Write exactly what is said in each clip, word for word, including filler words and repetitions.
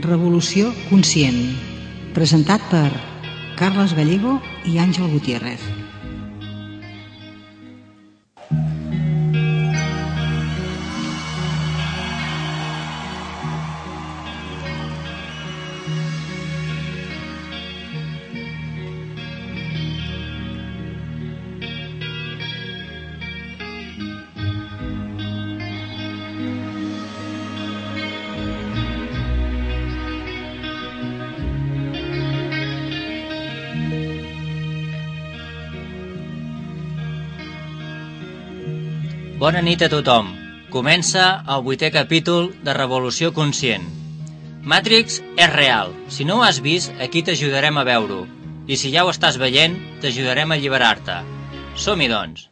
Revolució conscient, presentat per Carles Gallego i Àngel Gutiérrez. Bona nit a tothom. Comença el vuitè capítol de Revolució Conscient. Matrix és real. Si no ho has vist, aquí t'ajudarem a veure-ho. I si ja ho estàs veient, t'ajudarem a alliberar-te. Som-hi, doncs.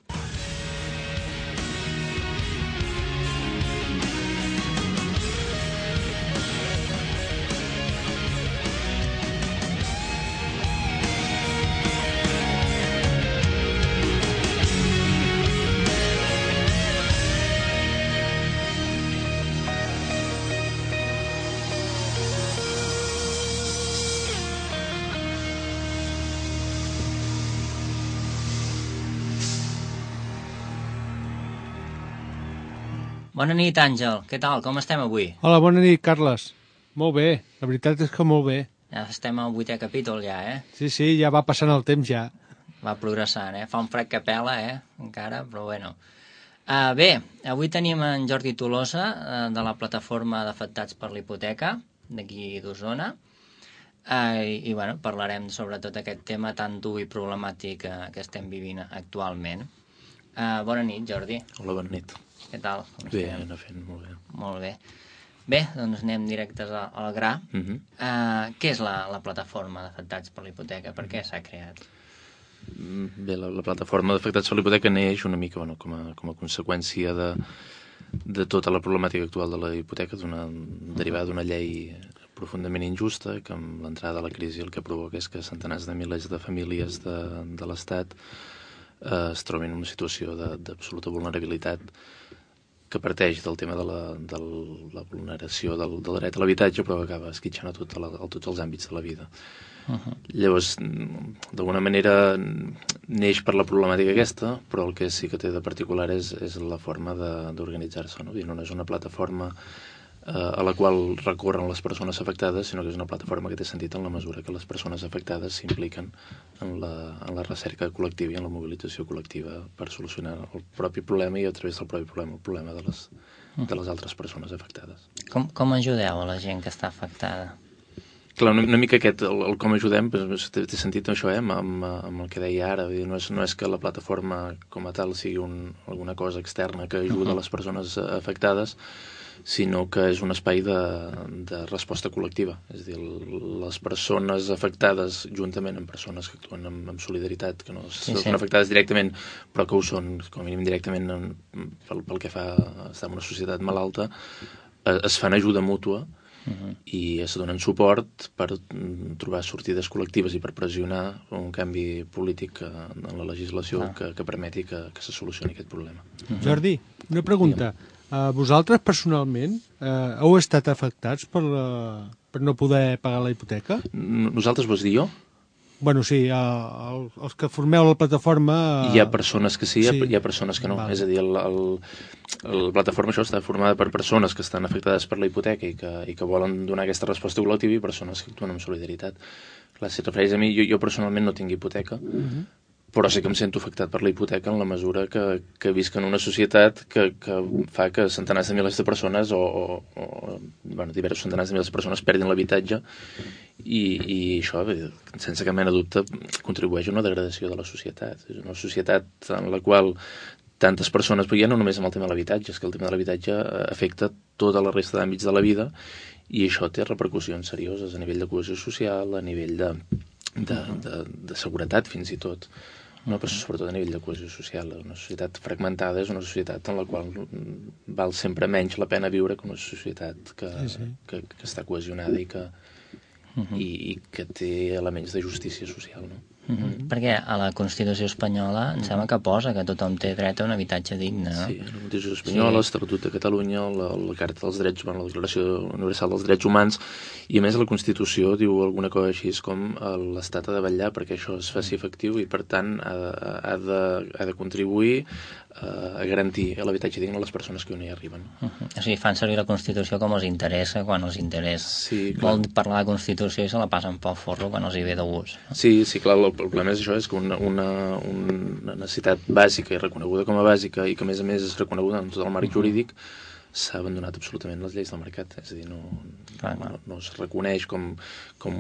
Bona nit, Àngel. Què tal? Com estem avui? Hola, bona nit, Carles. Molt bé. La veritat és que molt bé. Ja estem al vuitè capítol, ja, eh? Sí, sí, ja va passant el temps, ja. Va progressant, eh? Fa un fred que pela, eh? Encara, però bueno. Uh, bé, avui tenim en Jordi Tolosa, uh, de la plataforma d'afectats per la hipoteca, d'aquí d'Osona. Uh, i, I, bueno, parlarem sobre tot aquest tema tan dur i problemàtic uh, que estem vivint actualment. Uh, bona nit, Jordi. Hola, bona nit. Què tal? Bé, anar fent, molt bé. Molt bé. Bé, doncs anem directes al gra. Uh -huh. uh, què és la, la plataforma d'afectats per la hipoteca? Per què s'ha creat? Bé, la, la plataforma d'afectats per la hipoteca neix una mica bueno, com, a, com a conseqüència de, de tota la problemàtica actual de la hipoteca, d'una, derivada d'una llei profundament injusta, que amb l'entrada de la crisi el que provoca és que centenars de milers de famílies de, de l'Estat eh, es trobin en una situació d'absoluta vulnerabilitat, que parteix del tema de la, de la vulneració del, del dret a l'habitatge, però acaba esquitxant a, tot, a, la, a tots els àmbits de la vida. Uh -huh. Llavors, d'alguna manera, neix per la problemàtica aquesta, però el que sí que té de particular és, és la forma d'organitzar-se, no? No és una plataforma eh, a la qual recorren les persones afectades, sinó que és una plataforma que té sentit en la mesura que les persones afectades s'impliquen en la, en la recerca col·lectiva i en la mobilització col·lectiva per solucionar el propi problema i a través del propi problema el problema de les, de les altres persones afectades. Com, com ajudeu a la gent que està afectada? Clar, una, una mica aquest, el, el com ajudem, doncs, té, té sentit això, eh, amb, amb, amb el que deia ara. No és, no és que la plataforma com a tal sigui un, alguna cosa externa que ajuda uh -huh. les persones afectades, sinó que és un espai de, de resposta col·lectiva. És a dir, les persones afectades, juntament amb persones que actuen amb, amb solidaritat, que no sí, són sí. afectades directament, però que ho són, com a mínim directament, en, pel, pel que fa a estar en una societat malalta, es fan ajuda mútua uh-huh. i es donen suport per trobar sortides col·lectives i per pressionar un canvi polític en la legislació ah. que, que permeti que, que se solucioni aquest problema. Uh-huh. Jordi, una pregunta. Digue'm. Uh, vosaltres, personalment, uh, heu estat afectats per, la, per no poder pagar la hipoteca? Nosaltres vols dir jo? Bueno, sí, uh, el, els que formeu la plataforma... Uh... Hi ha persones que sí, sí. hi ha persones que no. Val. És a dir, el, el, la plataforma això està formada per persones que estan afectades per la hipoteca i que, i que volen donar aquesta resposta col·lectiva i persones que actuen amb solidaritat. Clar, si et refereix a mi, jo, jo personalment no tinc hipoteca, uh-huh. però sí que em sento afectat per la hipoteca en la mesura que, que visc en una societat que, que fa que centenars de milers de persones o, o, o bueno, diversos centenars de milers de persones perdin l'habitatge i, i això, sense cap mena de dubte, contribueix a una degradació de la societat. És una societat en la qual tantes persones, però ja no només amb el tema de l'habitatge, és que el tema de l'habitatge afecta tota la resta d'àmbits de la vida i això té repercussions serioses a nivell de cohesió social, a nivell de, de, de, de seguretat fins i tot. No, però sobretot a nivell de cohesió social. Una societat fragmentada és una societat en la qual val sempre menys la pena viure que una societat que, sí, sí. que, que està cohesionada i que, uh-huh. i, i que té elements de justícia social, no? Mm-hmm. Perquè a la Constitució espanyola em sembla que posa que tothom té dret a un habitatge digne, no? Sí, la Constitució espanyola, sí. l'Estatut de Catalunya, la, la Carta dels Drets Humans, la Declaració Universal dels Drets Humans, i a més la Constitució diu alguna cosa així com l'Estat ha de vetllar perquè això es faci efectiu i per tant ha de, ha de, ha de contribuir a garantir l'habitatge digne a les persones que on hi arriben. Uh-huh. O sigui, fan servir la Constitució com els interessa quan els interessa. Sí, clar. Vol parlar de Constitució i se la passen pel forro quan els hi ve de gust. No? Sí, sí, clar, el problema és això, és que una, una, una necessitat bàsica i reconeguda com a bàsica i que a més a més és reconeguda en tot el marc uh-huh. jurídic, s'ha abandonat absolutament les lleis del mercat, és a dir, no, clar, no, no es reconeix com, com,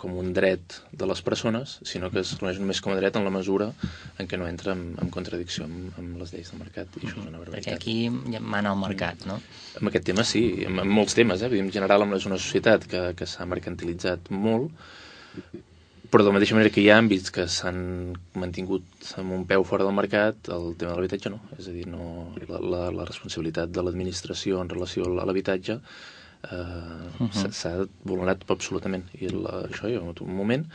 com un dret de les persones, sinó que es reconeix només com a dret en la mesura en què no entra en, en contradicció amb, amb les lleis del mercat, i això és una barbaritat. Perquè aquí ja mana el mercat, no? En aquest tema sí, en, en molts temes, eh? En general és una societat que, que s'ha mercantilitzat molt, però de la mateixa manera que hi ha àmbits que s'han mantingut amb un peu fora del mercat, el tema de l'habitatge no. És a dir, no, la, la, la responsabilitat de l'administració en relació a l'habitatge eh, uh-huh. s'ha vulnerat absolutament. I la, això hi ha un moment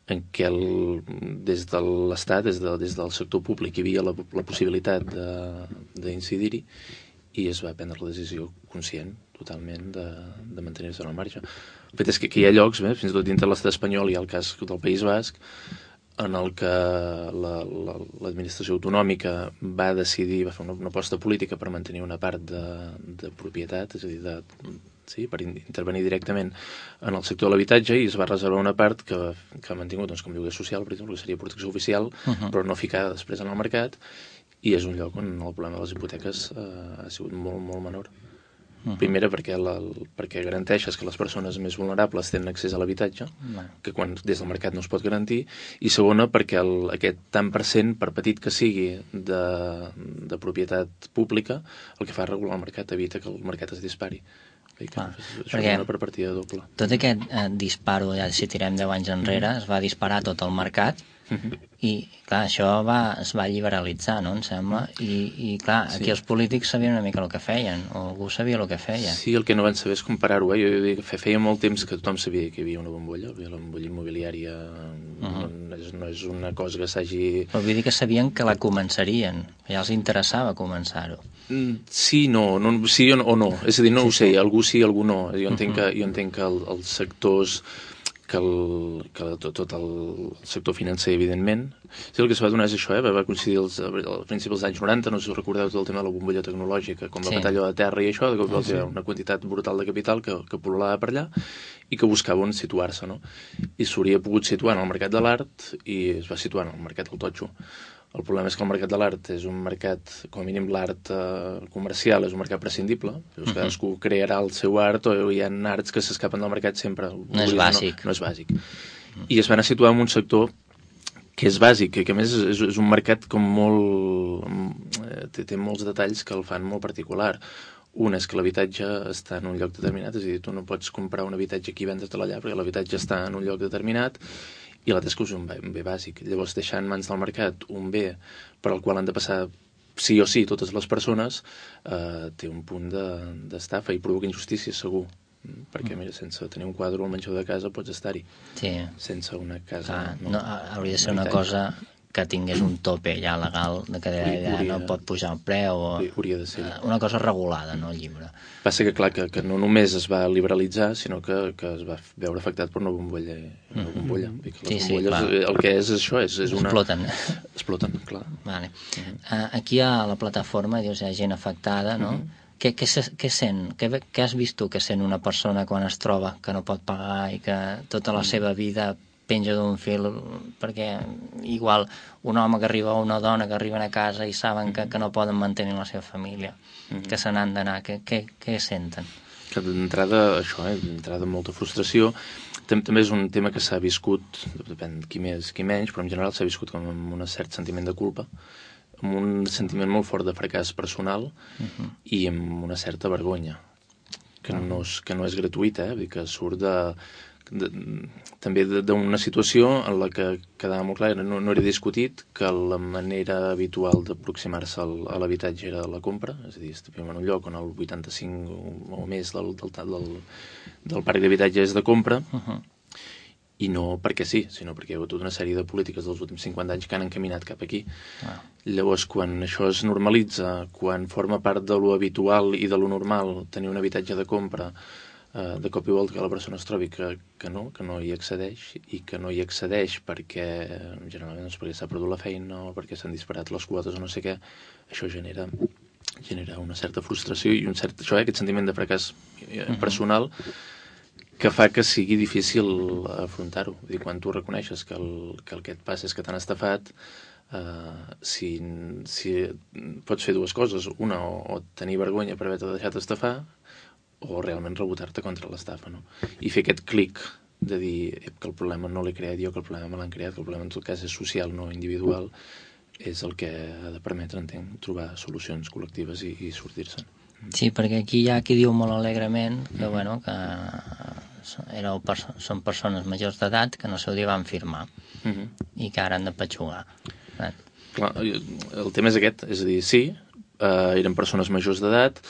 en què el, des de l'Estat, des, de, des del sector públic, hi havia la, la possibilitat d'incidir-hi i es va prendre la decisió conscient totalment de, de mantenir-se en el marge. El fet és que, que hi ha llocs, eh, fins i tot dintre l'estat espanyol, hi ha el cas del País Basc, en el que l'administració la, la, autonòmica va decidir, va fer una, una aposta política per mantenir una part de, de propietat, és a dir, de, sí, per intervenir directament en el sector de l'habitatge, i es va reservar una part que, que ha mantingut doncs, com lloguer social, per exemple, que seria protecció oficial, uh-huh. però no ficada després en el mercat, i és un lloc on el problema de les hipoteques eh, ha sigut molt, molt menor. Uh-huh. Primera, perquè, la, perquè garanteixes que les persones més vulnerables tenen accés a l'habitatge, uh-huh. que quan des del mercat no es pot garantir, i segona, perquè el, aquest tant per cent, per petit que sigui, de, de propietat pública, el que fa regular el mercat, evita que el mercat es dispari. Que, clar, això és una per partida doble. Tot aquest eh, disparo, ja si tirem deu anys enrere, uh-huh. es va disparar tot el mercat, uh-huh. i clar, això va, es va liberalitzar, no, em sembla, i, i clar, aquí sí. els polítics sabien una mica el que feien, o algú sabia el que feia. Sí, el que no van saber és comparar-ho, eh? Jo, jo, jo feia molt temps que tothom sabia que hi havia una bombolla, la bombolla immobiliària uh-huh. no, és, no és una cosa que s'hagi... Però vull dir que sabien que la començarien, ja els interessava començar-ho. Sí, no, no sí o no, és a dir, no sí, ho sé, sí. algú sí, algú no. Jo entenc uh-huh. que, jo entenc que el, els sectors, que, el, que tot, tot el sector financer, evidentment, sí, el que es va donar és això, eh? va coincidir als, als principis dels anys noranta, no sé si us recordeu tot el tema de la bombolla tecnològica, com la sí. batalla de terra i això, de cop uh-huh. hi ha una quantitat brutal de capital que, que pol·lulava per allà i que buscava on situar-se, no? I s'hauria pogut situar en el mercat de l'art i es va situar en el mercat del totxo. El problema és que el mercat de l'art és un mercat, com a mínim l'art eh, comercial, és un mercat prescindible. Uh-huh. Cadascú crearà el seu art o hi ha arts que s'escapen del mercat sempre. No és bàsic. No, no és bàsic. Uh-huh. I es van a situar en un sector que és bàsic, que a més és, és un mercat com molt... Té, té molts detalls que el fan molt particular. Un és que l'habitatge està en un lloc determinat, és a dir, tu no pots comprar un habitatge aquí i vendre't allà, perquè l'habitatge està en un lloc determinat, i l'altre és que és un bé, un bé bàsic. Llavors, deixar en mans del mercat un bé per al qual han de passar sí o sí totes les persones, eh, té un punt d'estafa de, i provoca injustícia, segur. Perquè, mira, sense tenir un quadre al menjador de casa pots estar-hi. Sí. Sense una casa... Ah, no, no, hauria de ser una cosa que tingués un tope ja legal, de que ja no pot pujar el preu, o hauria de ser. Una cosa regulada, no, el llibre. Passa que, clar, que, que no només es va liberalitzar, sinó que, que es va veure afectat per una bombolla. Una bombolla. Mm-hmm. I que les sí, bombolles, sí, el que és això, és, és una... Exploten. Exploten, clar. Vale. Uh-huh. Aquí a la plataforma dius, hi ha gent afectada, no? Uh-huh. Què, què, què sent? Què, què has vist tu que sent una persona quan es troba que no pot pagar i que tota la seva vida penja d'un fil, perquè igual un home que arriba o una dona que arriben a casa i saben que, que no poden mantenir la seva família, mm-hmm. que se n'han d'anar, què, què, què senten? Que d'entrada, això, eh, d'entrada molta frustració. També és un tema que s'ha viscut, depèn qui més, qui menys, però en general s'ha viscut com amb un cert sentiment de culpa, amb un sentiment molt fort de fracàs personal uh-huh. i amb una certa vergonya, que, uh-huh. no, és, que no és gratuïta, eh? Que surt de... De, també d'una situació en la que quedava molt clar, no, no era discutit que la manera habitual d'aproximar-se a l'habitatge era la compra, és a dir, estàvem en un lloc on el vuitanta-cinc o més del, del, del, del parc d'habitatge és de compra, uh-huh. i no perquè sí, sinó perquè hi ha hagut tota una sèrie de polítiques dels últims cinquanta anys que han encaminat cap aquí. Ah. Llavors, quan això es normalitza, quan forma part de lo habitual i de lo normal tenir un habitatge de compra, eh, de cop i volta que la persona es trobi que, que no, que no hi accedeix, i que no hi accedeix perquè, generalment, doncs, perquè s'ha perdut la feina o perquè s'han disparat les quotes o no sé què, això genera genera una certa frustració i un cert, això, eh, aquest sentiment de fracàs personal que fa que sigui difícil afrontar-ho. Vull dir, quan tu reconeixes que el, que el que et passa és que t'han estafat, eh, si, si pots fer dues coses, una, o, o tenir vergonya per haver-te deixat estafar, o realment rebotar-te contra l'estafa, no? I fer aquest clic de dir que el problema no l'he creat jo, que el problema me l'han creat, que el problema en tot cas és social, no individual, és el que ha de permetre, entenc, trobar solucions col·lectives i, i sortir-se'n. Sí, perquè aquí hi ha qui diu molt alegrement que, bueno, que éreu perso són persones majors d'edat que no sé dia van firmar Mm-hmm. i que ara han de petxugar. Eh? Clar, el tema és aquest, és a dir, sí, eh, eren persones majors d'edat,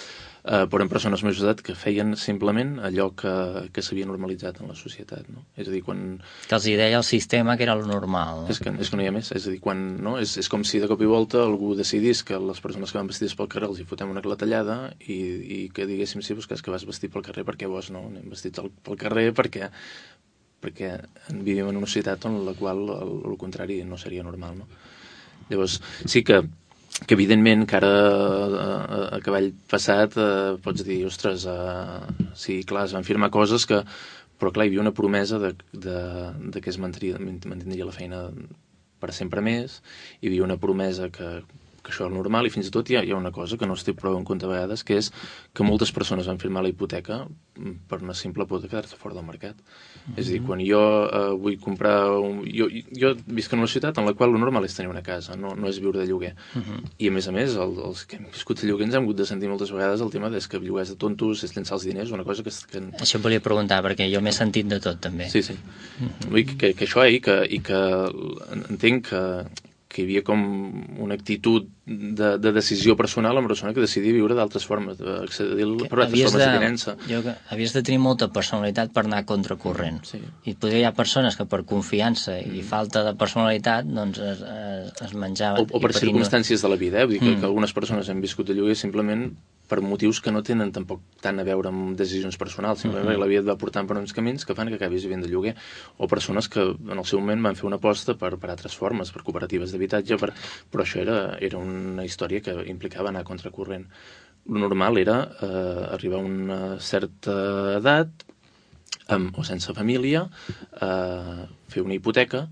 eh, però eren persones majors d'edat que feien simplement allò que, que s'havia normalitzat en la societat, no? És a dir, quan... Que els hi deia el sistema que era el normal. És que, és que no hi ha més, és a dir, quan, no? és, és com si de cop i volta algú decidís que les persones que van vestides pel carrer els hi fotem una clatellada i, i que diguéssim, sí, doncs que és que vas vestit pel carrer perquè vos no, anem vestits pel carrer perquè, perquè vivim en una societat en la qual el, el contrari no seria normal, no? Llavors, sí que que evidentment que ara a, a cavall passat eh, pots dir, ostres, eh, sí, clar, es van firmar coses que, però clar, hi havia una promesa de, de, de que es mantindria, mantindria la feina per sempre més, hi havia una promesa que, que això era normal, i fins i tot hi ha, hi ha una cosa que no es té prou en compte a vegades, que és que moltes persones van firmar la hipoteca per una simple por de quedar-se fora del mercat. Mm-hmm. És a dir, quan jo eh, vull comprar... Un, jo, jo visc en una ciutat en la qual el normal és tenir una casa, no, no és viure de lloguer. Mm-hmm. I a més a més, el, els que hem viscut de lloguer ens hem hagut de sentir moltes vegades el tema és que lloguers de tontos, és llençar els diners, una cosa que... que... Això em volia preguntar, perquè jo m'he sentit de tot, també. Sí, sí. Mm-hmm. Vull dir que, que això, eh, i que, i que entenc que, que hi havia com una actitud de, de decisió personal amb una persona que decidia viure d'altres formes, d'accedir per altres formes de, de tinença. Jo, havies de tenir molta personalitat per anar a contracorrent. Sí. I potser hi ha persones que per confiança mm. i falta de personalitat doncs es, es, es menjaven. O, o per circumstàncies no... de la vida, eh? Vull dir que, mm. que algunes persones han viscut de lloguer simplement per motius que no tenen tampoc tant a veure amb decisions personals, simplement mm-hmm. perquè la vida et va portant per uns camins que fan que acabis vivint de lloguer, o persones que en el seu moment van fer una aposta per, per altres formes, per cooperatives d'habitatge, per... però això era, era una història que implicava anar a contracorrent. Lo normal era eh, arribar a una certa edat, amb, o sense família, eh, fer una hipoteca,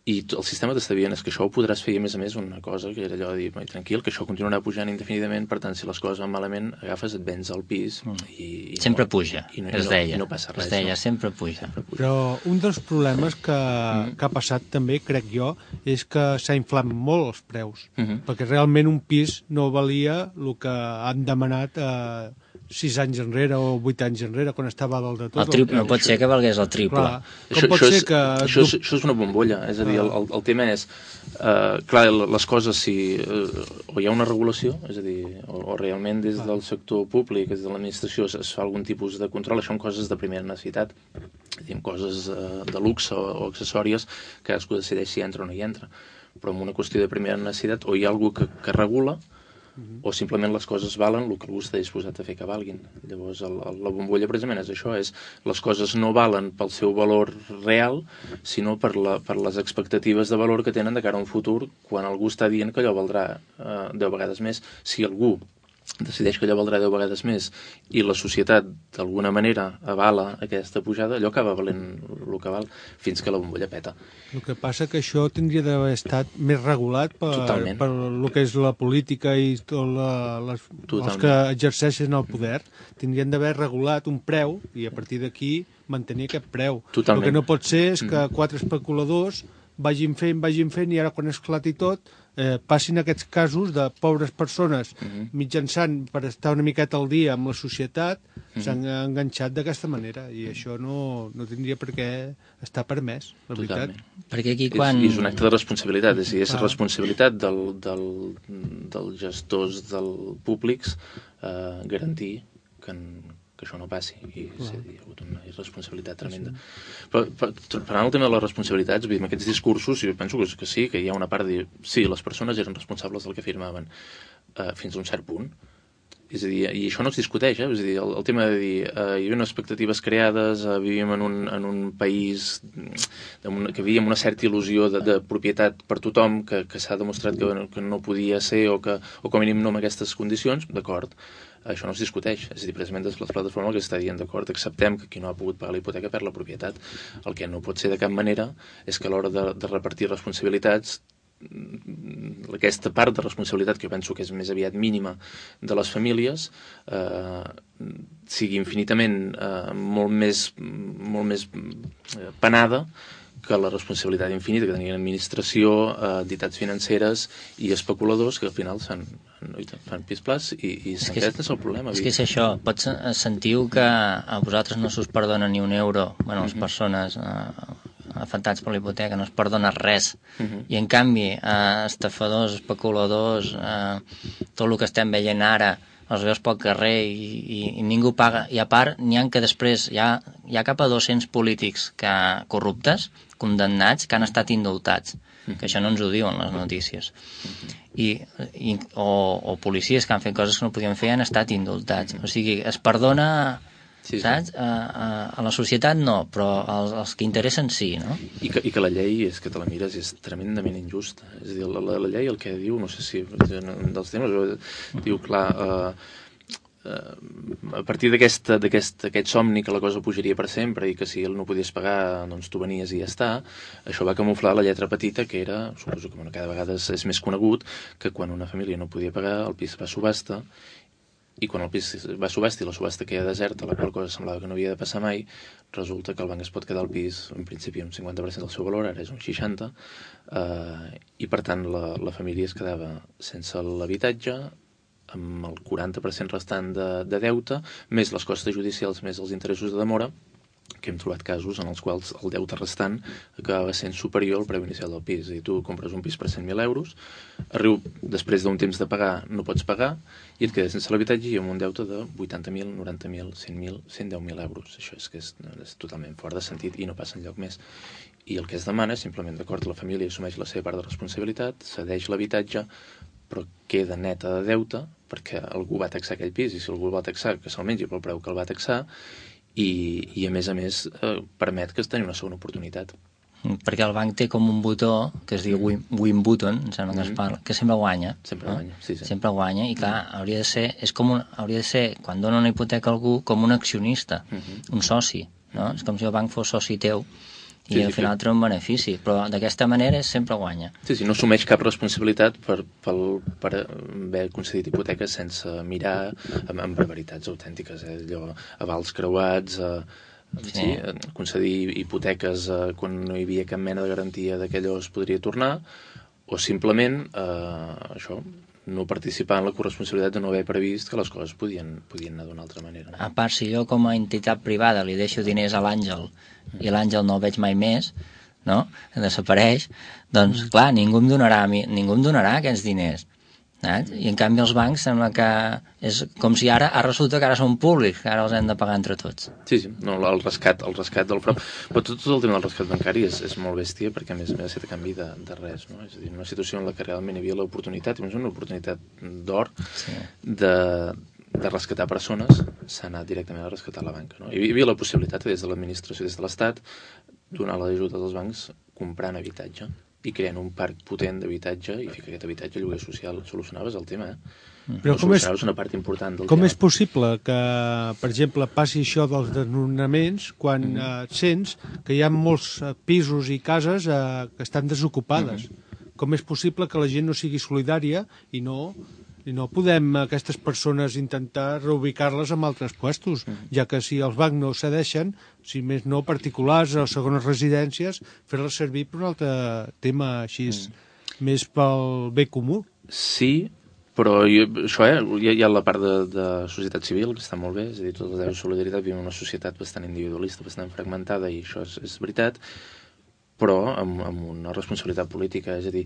i el sistema t'està dient és que això ho podràs fer, i a més a més una cosa que era allò de dir, tranquil, que això continuarà pujant indefinidament, per tant, si les coses van malament, agafes, et vens al pis mm. i, i sempre no, puja, i no, es i no, deia, i no passa res, es deia, no? sempre puja. sempre puja. Però un dels problemes que, mm. que ha passat també, crec jo, és que s'ha inflat molt els preus, mm -hmm. perquè realment un pis no valia el que han demanat eh, sis anys enrere o vuit anys enrere, quan estava a dalt de tot. El triple, no pot ser que valgués el triple. Clar, com això, pot això, ser és, que... això, és, això és una bombolla, és a dir, el, el, el tema és, uh, clar, les coses, si uh, o hi ha una regulació, és a dir, o, o realment des del sector públic, des de l'administració, es, es fa algun tipus de control, això són coses de primera necessitat, diguem, coses uh, de luxe o, o accessòries, que cadascú decideix si entra o no hi entra, però en una qüestió de primera necessitat, o hi ha algú que, que regula, o simplement les coses valen el que algú està disposat a fer que valguin. Llavors, el, el, la bombolla precisament és això, és les coses no valen pel seu valor real, sinó per, la, per les expectatives de valor que tenen de cara a un futur, quan algú està dient que allò valdrà eh, deu vegades més. Si algú decideix que allò valdrà deu vegades més i la societat d'alguna manera avala aquesta pujada, allò acaba valent el que val, fins que la bombolla peta. El que passa que això tindria d'haver estat més regulat per, per el que és la política i tot la, les, els que exerceixen el poder. Tindrien d'haver regulat un preu i a partir d'aquí mantenir aquest preu. Totalment. El que no pot ser és que quatre especuladors vagin fent, vagin fent i ara quan esclati tot eh, passin aquests casos de pobres persones uh-huh. mitjançant per estar una miqueta al dia amb la societat uh-huh. s'han enganxat d'aquesta manera i això no, no tindria per què estar permès, la veritat. Perquè aquí quan... És, és un acte de responsabilitat, és, és ah. responsabilitat del, del, dels gestors del públics eh, garantir que, que això no passi, i sí, hi ha hagut una irresponsabilitat tremenda. Però, però parlant el tema de les responsabilitats, amb aquests discursos, jo penso que, que sí, que hi ha una part de dir, sí, les persones eren responsables del que afirmaven, uh, fins a un cert punt. És a dir, i això no es discuteix, eh? És a dir, el, el tema de dir uh, hi havia unes expectatives creades, uh, vivíem en un, en un país una, que vivíem una certa il·lusió de, de propietat per tothom, que, que s'ha demostrat que, que no podia ser, o, que, o com a mínim no en aquestes condicions, d'acord, això no es discuteix. És a dir, precisament des de la plataforma que està dient, d'acord, acceptem que qui no ha pogut pagar la hipoteca perd la propietat. El que no pot ser de cap manera és que a l'hora de, de repartir responsabilitats, aquesta part de responsabilitat, que jo penso que és més aviat mínima de les famílies, eh, sigui infinitament eh, molt més, molt més penada que la responsabilitat infinita que tenien administració, eh, entitats financeres i especuladors, que al final fan, fan pis-plas i, i aquest és el problema. És que és això, pots sentiu que a vosaltres no s'us perdona ni un euro, bueno, les persones eh, afectats per la hipoteca, no es perdona res. Uh-huh. I en canvi, eh, estafadors, especuladors, eh, tot el que estem veient ara, els veus pel carrer i, i, i ningú paga. I a part, n'hi ha que després hi ha, hi ha cap a dos-cents polítics que, corruptes, condemnats, que han estat indultats. Uh-huh. Que això no ens ho diuen les notícies. Uh-huh. I, i, o, o policies que han fet coses que no podien fer han estat indultats. Uh-huh. O sigui, es perdona... Sí, saps? Sí. A, a, a la societat no, però els, els que interessen sí, no? I que, I que la llei, és que te la mires, és tremendament injusta. És a dir, la, la, la llei el que diu, no sé si dels temes, diu, clar, eh, eh, a partir d'aquest aquest, aquest somni que la cosa pujaria per sempre i que si el no podies pagar, doncs tu venies i ja està, això va camuflar la lletra petita, que era, suposo que bueno, cada vegada és, és més conegut, que quan una família no podia pagar, el pis va a subhasta, i quan el pis va a subhasta i la subhasta queda deserta, la qual cosa semblava que no havia de passar mai, resulta que el banc es pot quedar el pis, en principi, un cinquanta per cent del seu valor, ara és un seixanta per cent, eh, i per tant la, la família es quedava sense l'habitatge, amb el quaranta per cent restant de, de deute, més les costes judicials, més els interessos de demora, que hem trobat casos en els quals el deute restant acabava sent superior al preu inicial del pis. I tu compres un pis per cent mil euros, arriu, després d'un temps de pagar no pots pagar, i et quedes sense l'habitatge i amb un deute de vuitanta mil, noranta mil, cent mil, cent deu mil euros. Això és que és, és totalment fora de sentit i no passa enlloc més. I el que es demana és simplement, d'acord, la família assumeix la seva part de responsabilitat, cedeix l'habitatge, però queda neta de deute perquè algú va taxar aquell pis, i si algú el va taxar, que se'l mengi pel preu que el va taxar, i, i a més a més eh, permet que es tenir una segona oportunitat. Perquè el banc té com un botó que es diu win, win button, em sembla que es parla, que sempre guanya. Sempre no? guanya, sí, sí. Sempre guanya, i clar, hauria de ser, és com un, hauria de ser, quan dona una hipoteca a algú, com un accionista, uh-huh. un soci, no? És com si el banc fos soci teu, i sí, al final sí, treu un benefici, però d'aquesta manera sempre guanya. Sí, sí, no assumeix cap responsabilitat per, per, per haver concedit hipoteques sense mirar amb, amb barbaritats autèntiques, eh? Allò, avals creuats, eh, sí. Sí, concedir hipoteques eh, quan no hi havia cap mena de garantia que allò es podria tornar, o simplement eh, això, no participar en la corresponsabilitat de no haver previst que les coses podien, podien anar d'una altra manera. No? A part, si jo com a entitat privada li deixo diners a l'Àngel i l'Àngel no el veig mai més, no? Desapareix, doncs clar, ningú em donarà, ningú em donarà aquests diners. Saps? I en canvi els bancs sembla que és com si ara, ara resulta que ara són públics, que ara els hem de pagar entre tots. Sí, sí, no, el rescat, el rescat del frau. Però tot, tot el tema del rescat bancari és, és molt bèstia perquè a més a més ha de canvi de, de res, no? És a dir, una situació en la que realment hi havia l'oportunitat, és una oportunitat d'or, sí. de, de rescatar persones, s'ha anat directament a rescatar la banca, no? Hi havia la possibilitat des de l'administració, des de l'Estat, donar l'ajuda dels bancs comprant habitatge i creant un parc potent d'habitatge i ficar aquest habitatge a lloguer social. Solucionaves el tema, eh? Però no com solucionaves és, una part important del com tema. És possible que, per exemple, passi això dels desnonaments quan mm-hmm. eh, sents que hi ha molts eh, pisos i cases eh, que estan desocupades? Mm-hmm. Com és possible que la gent no sigui solidària i no... I no podem aquestes persones intentar reubicar-les en altres puestos, mm. ja que si els bancs no cedeixen, si més no particulars o segones residències, fer-les servir per un altre tema així, mm. més pel bé comú. Sí, però jo, això, eh, hi ha, hi ha la part de, de societat civil, que està molt bé, és a dir, tota la solidaritat, vivim en una societat bastant individualista, bastant fragmentada, i això és, és veritat, però amb, amb una responsabilitat política, és a dir,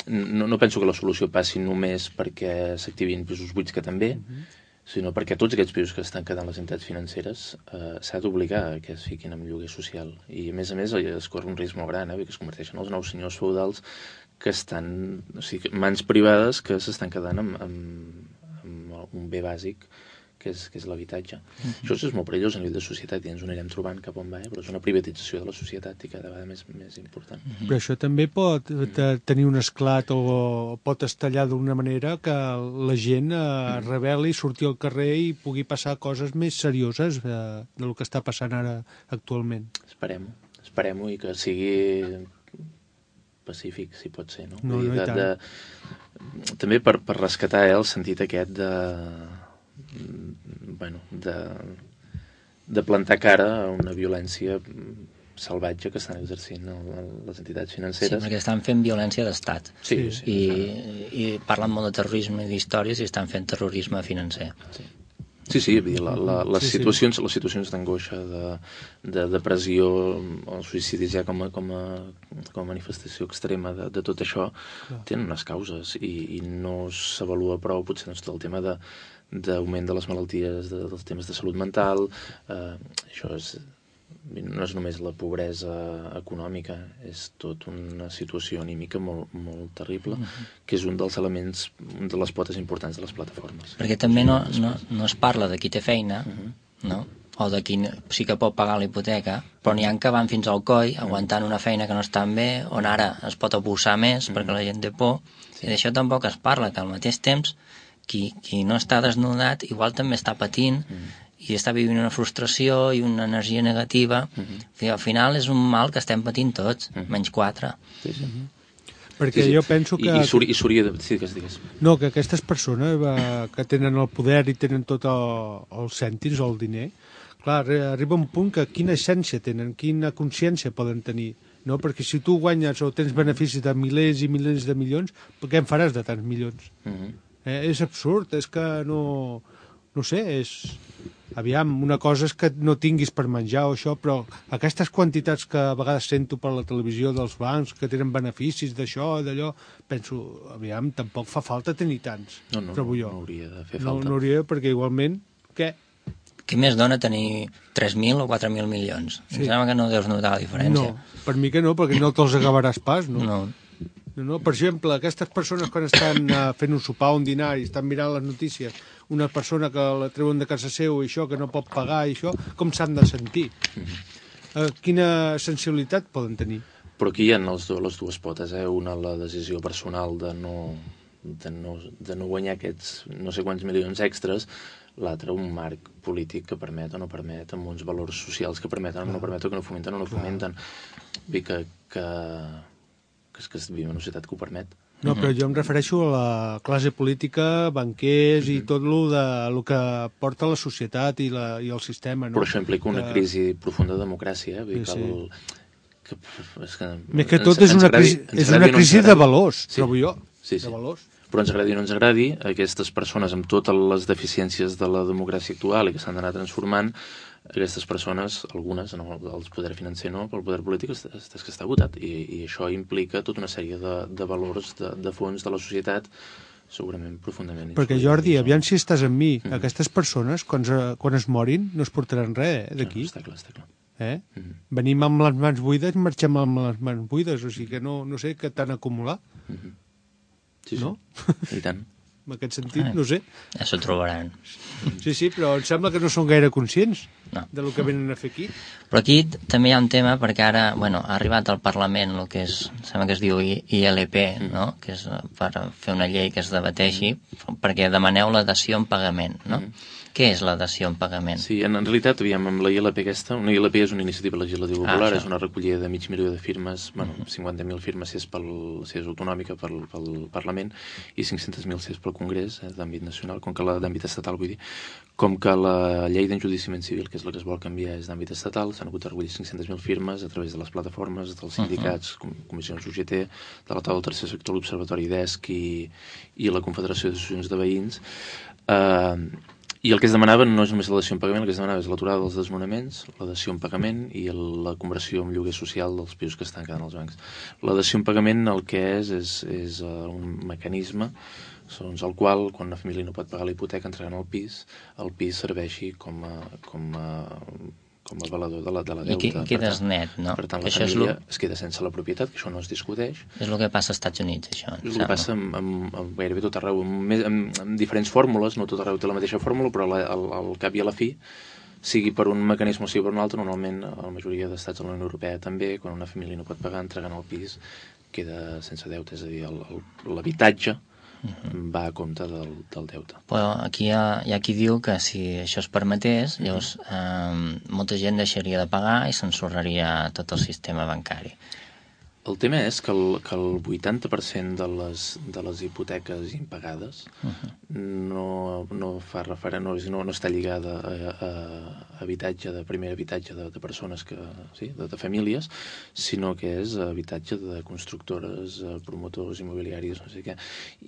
no, no penso que la solució passi només perquè s'activin pisos buits, que també, mm-hmm. sinó perquè tots aquests pisos que estan quedant les entitats financeres eh, s'ha d'obligar que es fiquin en lloguer social. I a més a més es corre un risc molt gran, eh, que es converteixen en els nous senyors feudals que estan, o sigui, mans privades que s'estan quedant amb, amb, amb un bé bàsic que és, que és l'habitatge. Mm-hmm. Això és molt perillós a nivell de societat i ens ho anirem trobant cap on va, eh? Però és una privatització de la societat i cada vegada més, més important. Mm-hmm. Però això també pot tenir un esclat o pot estallar d'una manera que la gent eh, mm-hmm. rebel·li, surti al carrer i pugui passar coses més serioses eh, del que està passant ara actualment. Esperem-ho, esperem-ho i que sigui pacífic, si pot ser, no? No, no, de, i tant. De, també per, per rescatar eh, el sentit aquest de bueno, de, de plantar cara a una violència salvatge que estan exercint el, les entitats financeres. Sí, perquè estan fent violència d'estat. Sí, sí. I, i parlen molt de terrorisme i d'històries i estan fent terrorisme financer. Sí. Sí, sí, la, la, les, sí, situacions, sí. les situacions d'angoixa, de, de depressió, els suïcidis ja com a, com a, com a manifestació extrema de, de tot això, clar, tenen unes causes i, i no s'avalua prou potser doncs, tot el tema de d'augment de les malalties, de, dels temes de salut mental. Eh, això és, no és només la pobresa econòmica, és tot una situació anímica molt, molt terrible, uh-huh. que és un dels elements, un de les potes importants de les plataformes. Perquè també no, no, no es parla de qui té feina, uh-huh. no? O de qui sí que pot pagar la hipoteca, però n'hi ha que van fins al coll aguantant una feina que no estan bé, on ara es pot abusar més uh-huh. perquè la gent té por, sí. I d'això tampoc es parla, que al mateix temps qui, qui no està desnudat igual també està patint uh-huh. i està vivint una frustració i una energia negativa. Uh-huh. I al final és un mal que estem patint tots, uh-huh. menys quatre. Sí, sí. Uh-huh. Perquè sí, sí. jo penso que... I, i s'hauria de... Sí, digues, digues. No, que aquestes persones va, que tenen el poder i tenen tot el, els cèntims o el diner, clar, arriba un punt que quina essència tenen, quina consciència poden tenir, no? Perquè si tu guanyes o tens beneficis de milers i milers de milions, què en faràs de tants milions? Uh-huh. eh, és absurd, és que no... No sé, és... Aviam, una cosa és que no tinguis per menjar o això, però aquestes quantitats que a vegades sento per la televisió dels bancs, que tenen beneficis d'això, d'allò, penso, aviam, tampoc fa falta tenir tants, no, no, trobo jo. No, no hauria de fer no, falta. No hauria, perquè igualment, què? Què més dona tenir tres mil o quatre mil milions? Sí. Em sembla que no deus notar la diferència. No, per mi que no, perquè no te'ls acabaràs pas, no? No. No, no. Per exemple, aquestes persones quan estan uh, fent un sopar o un dinar i estan mirant les notícies, una persona que la treuen de casa seu i això, que no pot pagar i això, com s'han de sentir? Uh, quina sensibilitat poden tenir? Però aquí hi ha els do, les dues potes, eh? Una, la decisió personal de no, de, no, de no guanyar aquests no sé quants milions extras, l'altre un marc polític que permet o no permet, amb uns valors socials que permeten o no permeten, que no fomenten o no fomenten. Vull que... que que és que vivim en una societat que ho permet. No, però jo em refereixo a la classe política, banquers i tot el, de, el que porta la societat i, la, i el sistema. No? Però això implica una crisi profunda de democràcia. Eh? Vull dir sí, que el, que, és que, Més que tot ens, és una crisi, és una crisi no de valors, sí, trobo jo. Sí, sí. De valors. Però ens agradi o no ens agradi, aquestes persones amb totes les deficiències de la democràcia actual i que s'han d'anar transformant, aquestes persones, algunes, no, el poder financer no, però el poder polític és, és, és que està votat. I, i això implica tota una sèrie de, de valors, de, de fons de la societat, segurament profundament... Perquè, Jordi, aviam si estàs amb mi, mm-hmm. aquestes persones, quan, quan es morin, no es portaran res eh, d'aquí. No, està clar, està clar. Eh? Mm-hmm. Venim amb les mans buides i marxem amb les mans buides, o sigui que no, no sé què t'han acumulat. Mm-hmm. Sí, sí, no? I tant. En aquest sentit, no sé. Ja s'ho trobaran. Sí, sí, però em sembla que no són gaire conscients no. del que venen a fer aquí. Però aquí també hi ha un tema, perquè ara, bueno, ha arribat al Parlament el que és, sembla que es diu I L P, no? Que és per fer una llei que es debateixi, perquè demaneu la dació en pagament, no? Mm. Què és la dació en pagament? Sí, en, en realitat, aviam, amb la I L P aquesta, una I L P és una iniciativa legislativa popular, ah, és una recollida de mig milió de firmes, bueno, cinquanta mil firmes si és, pel, si és autonòmica pel, pel Parlament i cinc-centes mil si és pel Congrés, eh, d'àmbit nacional, com que la d'àmbit estatal, vull dir, com que la llei d'enjudiciament civil, que és la que es vol canviar, és d'àmbit estatal, s'han hagut de recollir cinc-centes mil firmes a través de les plataformes, dels sindicats, uh -huh. comissions U G T, de la taula del tercer sector, l'Observatori d'E S C i, i la Confederació d'Associacions de Veïns. Eh... I el que es demanava no és només la dació en pagament, el que es demanava és l'aturada dels desnonaments, la dació en pagament i el, la conversió en lloguer social dels pisos que estan quedant als bancs. La dació en pagament el que és és, és uh, un mecanisme segons el qual, quan una família no pot pagar la hipoteca entregant el pis, el pis serveixi com a, com a, com a valedor de la, de la deuta. I quedes net, no? Per tant, la això família lo... es queda sense la propietat, que això no es discuteix. És el que passa als Estats Units, això. És el que passa amb, amb, amb gairebé tot arreu, amb, amb, amb diferents fórmules, no tot arreu té la mateixa fórmula, però la, al, al cap i a la fi, sigui per un mecanisme o sigui per un altre, normalment a la majoria d'estats de la Unió Europea també, quan una família no pot pagar, entregant el pis, queda sense deute, és a dir, l'habitatge uh-huh. va a compte del, del deute. Però aquí hi ha, hi ha qui diu que si això es permetés, uh-huh. llavors eh, molta gent deixaria de pagar i s'ensorraria tot el sistema bancari. El tema és que el, que el vuitanta per cent de les, de les hipoteques impagades uh-huh. no, no fa referent, no, no, no està lligada a, a, a habitatge, de primer habitatge de, de persones, que, sí, de, de famílies, sinó que és habitatge de constructores, promotors immobiliaris, no sé què.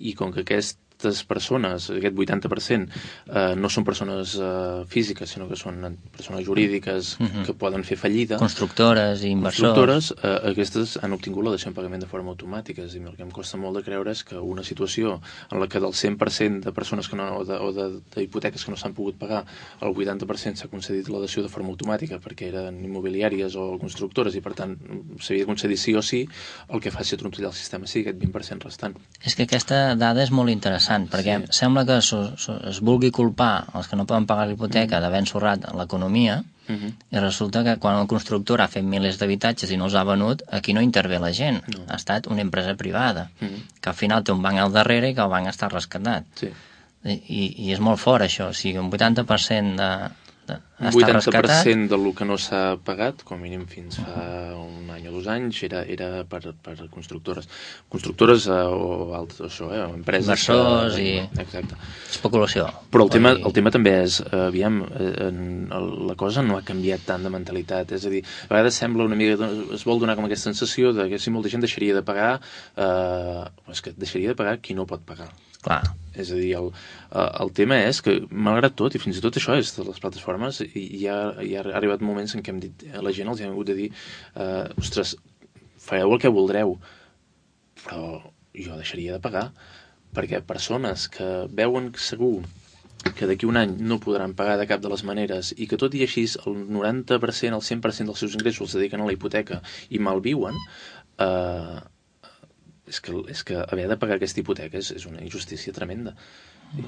I com que aquest aquestes persones, aquest vuitanta per cent, eh, no són persones eh, físiques, sinó que són persones jurídiques uh-huh. que poden fer fallida. Constructores i inversors. Constructores, eh, aquestes han obtingut la dació en pagament de forma automàtica. És a dir, el que em costa molt de creure és que una situació en la que del cent per cent de persones que no, o, de, o de, de hipoteques que no s'han pogut pagar, el vuitanta per cent s'ha concedit la dació de forma automàtica perquè eren immobiliàries o constructores i per tant s'havia de concedir sí o sí, el que faci trontollar el sistema sí, aquest vint per cent restant. És que aquesta dada és molt interessant perquè sí. sembla que es, es vulgui culpar els que no poden pagar l'hipoteca mm. d'haver ensorrat l'economia mm-hmm. i resulta que quan el constructor ha fet milers d'habitatges i no els ha venut, aquí no intervé la gent, no. ha estat una empresa privada mm-hmm. que al final té un banc al darrere i que el banc està rescatat sí. I, i, i és molt fort això, o sigui un vuitanta per cent de, de, un vuitanta per cent del que no s'ha pagat, com a mínim fins fa un any o dos anys, era, era per, per constructores. Constructores eh, o altres, això, eh, empreses... Inversors que, i... Exacte. Especulació. Però el tema, el tema també és, eh, aviam, eh, la cosa no ha canviat tant de mentalitat, és a dir, a vegades sembla una mica, es vol donar com aquesta sensació de que si molta gent deixaria de pagar, eh, és que deixaria de pagar qui no pot pagar. Clar. És a dir, el, el tema és que, malgrat tot, i fins i tot això és de les plataformes, hi ha, hi ha arribat moments en què hem dit, a la gent els ha hagut de dir eh, ostres, fareu el que voldreu, però jo deixaria de pagar, perquè persones que veuen segur que d'aquí un any no podran pagar de cap de les maneres i que tot i així el noranta per cent, el cent per cent dels seus ingressos els dediquen a la hipoteca i malviuen, eh, és que, és que haver de pagar aquesta hipoteca és, és una injustícia tremenda. Sí?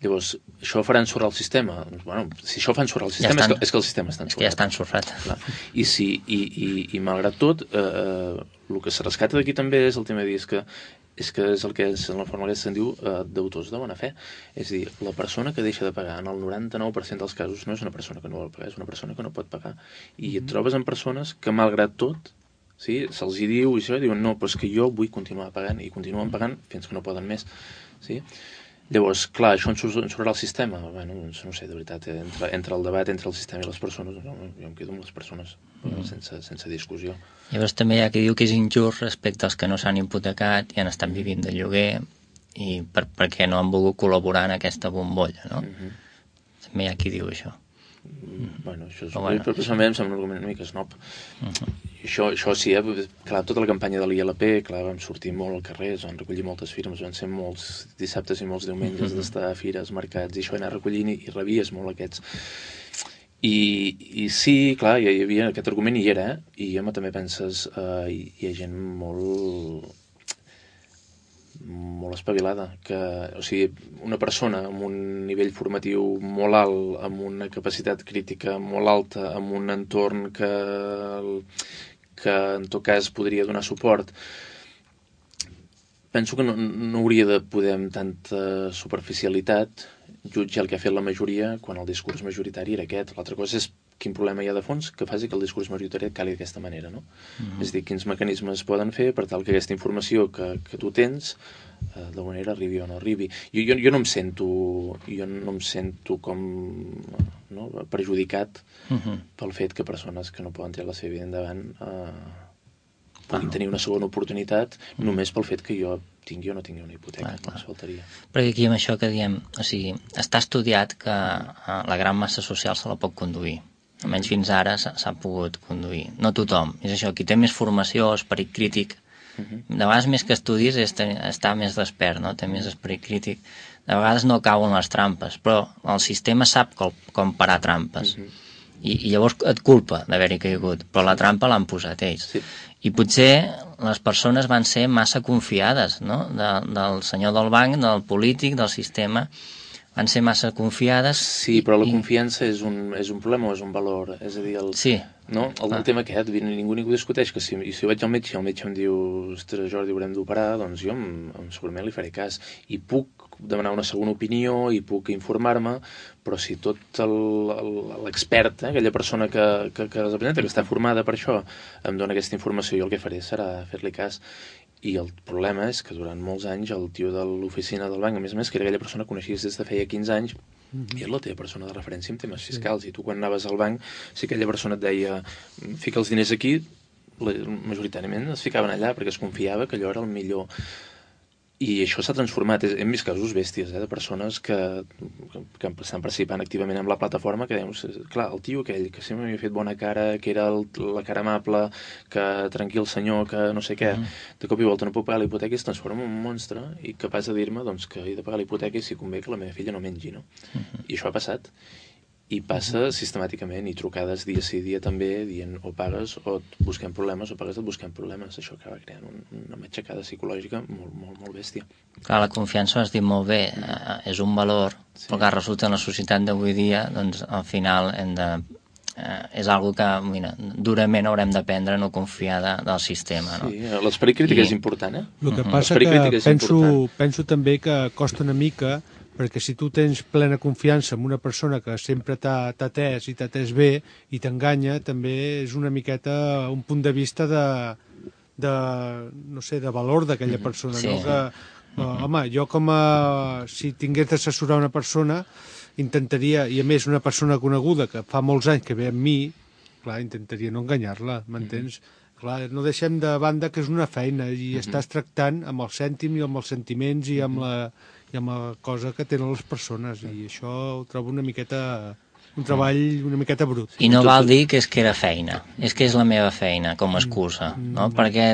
Llavors, això farà ensorrar el sistema? Bueno, si això fa ensorrar el sistema ja estan, és, que, és que el sistema està ensorrat. És que ja està ensorrat. Clar. I, si, i, i, i malgrat tot, eh, el que se rescata d'aquí també és el tema de dir és que és que és el que és, en la forma que se'n diu eh, d'autors de bona fe. És a dir, la persona que deixa de pagar en el noranta-nou per cent dels casos no és una persona que no vol pagar, és una persona que no pot pagar. I et trobes amb persones que, malgrat tot, sí, se'ls hi diu i això, diuen no, però és que jo vull continuar pagant i continuen pagant fins que no poden més, sí? Llavors, clar, això ensorrarà el sistema? Bueno, doncs no sé, de veritat, entre, entre el debat entre el sistema i les persones, no, jo em quedo amb les persones mm. sense, sense discussió. Llavors també hi ha qui diu que és injust respecte als que no s'han hipotecat i han estat vivint de lloguer i per, perquè no han volgut col·laborar en aquesta bombolla, no? Mm-hmm. També hi ha qui diu això. Bueno, això és, bueno, personalment em sembla un argument una mica snob. Uh-huh. Això, això sí, eh? Clar, tota la campanya de l'I L P, clar, vam sortir molt al carrer, es van recollir moltes firmes, van ser molts dissabtes i molts diumenges uh-huh. d'estar a fires, mercats, i això anar recollint i, i rebies molt aquests. I, i sí, clar, hi havia aquest argument i hi era, eh? I home, també penses, eh, hi, hi ha gent molt... molt espavilada, que, o sigui, una persona amb un nivell formatiu molt alt, amb una capacitat crítica molt alta, amb un entorn que, que en tot cas podria donar suport, penso que no, no hauria de poder amb tanta superficialitat jutjar el que ha fet la majoria quan el discurs majoritari era aquest. L'altra cosa és quin problema hi ha de fons que faci que el discurs majoritari cali d'aquesta manera, no? Mm-hmm. És a dir, quins mecanismes poden fer per tal que aquesta informació que, que tu tens eh, d'alguna manera arribi o no arribi. Jo, jo, jo no em sento jo no em sento com no, perjudicat mm-hmm. pel fet que persones que no poden tirar la seva vida endavant eh, puguin tenir una segona oportunitat mm-hmm. només pel fet que jo tingui o no tingui una hipoteca, clar, clar. No faltaria. Perquè aquí amb això que diem, o sigui, està estudiat que eh, la gran massa social se la pot conduir. Almenys fins ara s'ha pogut conduir. No tothom. És això, qui té més formació, esperit crític, De vegades més que estudis és estar més despert, no? Té més esperit crític. De vegades no cauen les trampes, però el sistema sap com, com parar trampes. Uh-huh. I, I llavors et culpa d'haver-hi caigut, però la trampa l'han posat ells. Sí. I potser les persones van ser massa confiades, no? De, del senyor del banc, del polític, del sistema, van ser massa confiades. Sí, però la confiança i... és, un, és un problema o és un valor? És a dir, el, sí. no? el, el ah. tema aquest, ningú ningú discuteix que si, si vaig al metge i el metge em diu ostres, Jordi, haurem d'operar, doncs jo em, em, segurament li faré cas. I puc demanar una segona opinió i puc informar-me, però si tot l'expert, eh, aquella persona que, que, que representa, que està formada per això, em dona aquesta informació, jo el que faré serà fer-li cas. I el problema és que durant molts anys el tio de l'oficina del banc, a més a més, que era aquella persona que coneixies des de feia quinze anys, mm-hmm. i és la teva persona de referència en temes fiscals, sí. I tu quan anaves al banc, si aquella persona et deia fica els diners aquí, majoritàriament es ficaven allà perquè es confiava que allò era el millor. I això s'ha transformat. Hem vist casos bèsties, eh, de persones que, que, que estan participant activament en la plataforma, que deien, clar, el tio aquell que sempre m'havia fet bona cara, que era el, la cara amable, que tranquil senyor, que no sé què, mm. de cop i volta no puc pagar la hipoteca i es transforma en un monstre i capaç de dir-me doncs, que he de pagar la hipoteca i si convé que la meva filla no mengi, no? Mm-hmm. I això ha passat. I passa mm-hmm. sistemàticament, i trucades dia sí dia també, dient o pagues o et busquem problemes, o pagues o et busquem problemes. Això acaba creant un, una matxacada psicològica molt, molt, molt bèstia. Clar, la confiança, has dit molt bé, eh, és un valor, sí. Però que resulta en la societat d'avui dia, doncs al final hem de... Eh, és algo que, mira, durament haurem d'aprendre a no confiar de, del sistema, no? Sí, l'esperit crític I... és important, eh? El que passa que penso, penso també que costa una mica, perquè si tu tens plena confiança en una persona que sempre t'ha atès i t'ha atès bé i t'enganya, també és una miqueta un punt de vista de, de no sé, de valor d'aquella persona, sí. No? Que, uh, home, jo com a... si tingués d'assessorar una persona, intentaria, i a més una persona coneguda que fa molts anys que ve amb mi, clar, intentaria no enganyar-la, m'entens? Mm-hmm. Clar, no deixem de banda que és una feina i mm-hmm. estàs tractant amb el cèntim i amb els sentiments i amb la... i amb la cosa que tenen les persones, i això ho trobo una miqueta un treball una miqueta brut. I no val dir que és que era feina, és que és la meva feina com a excusa, no? Mm. Perquè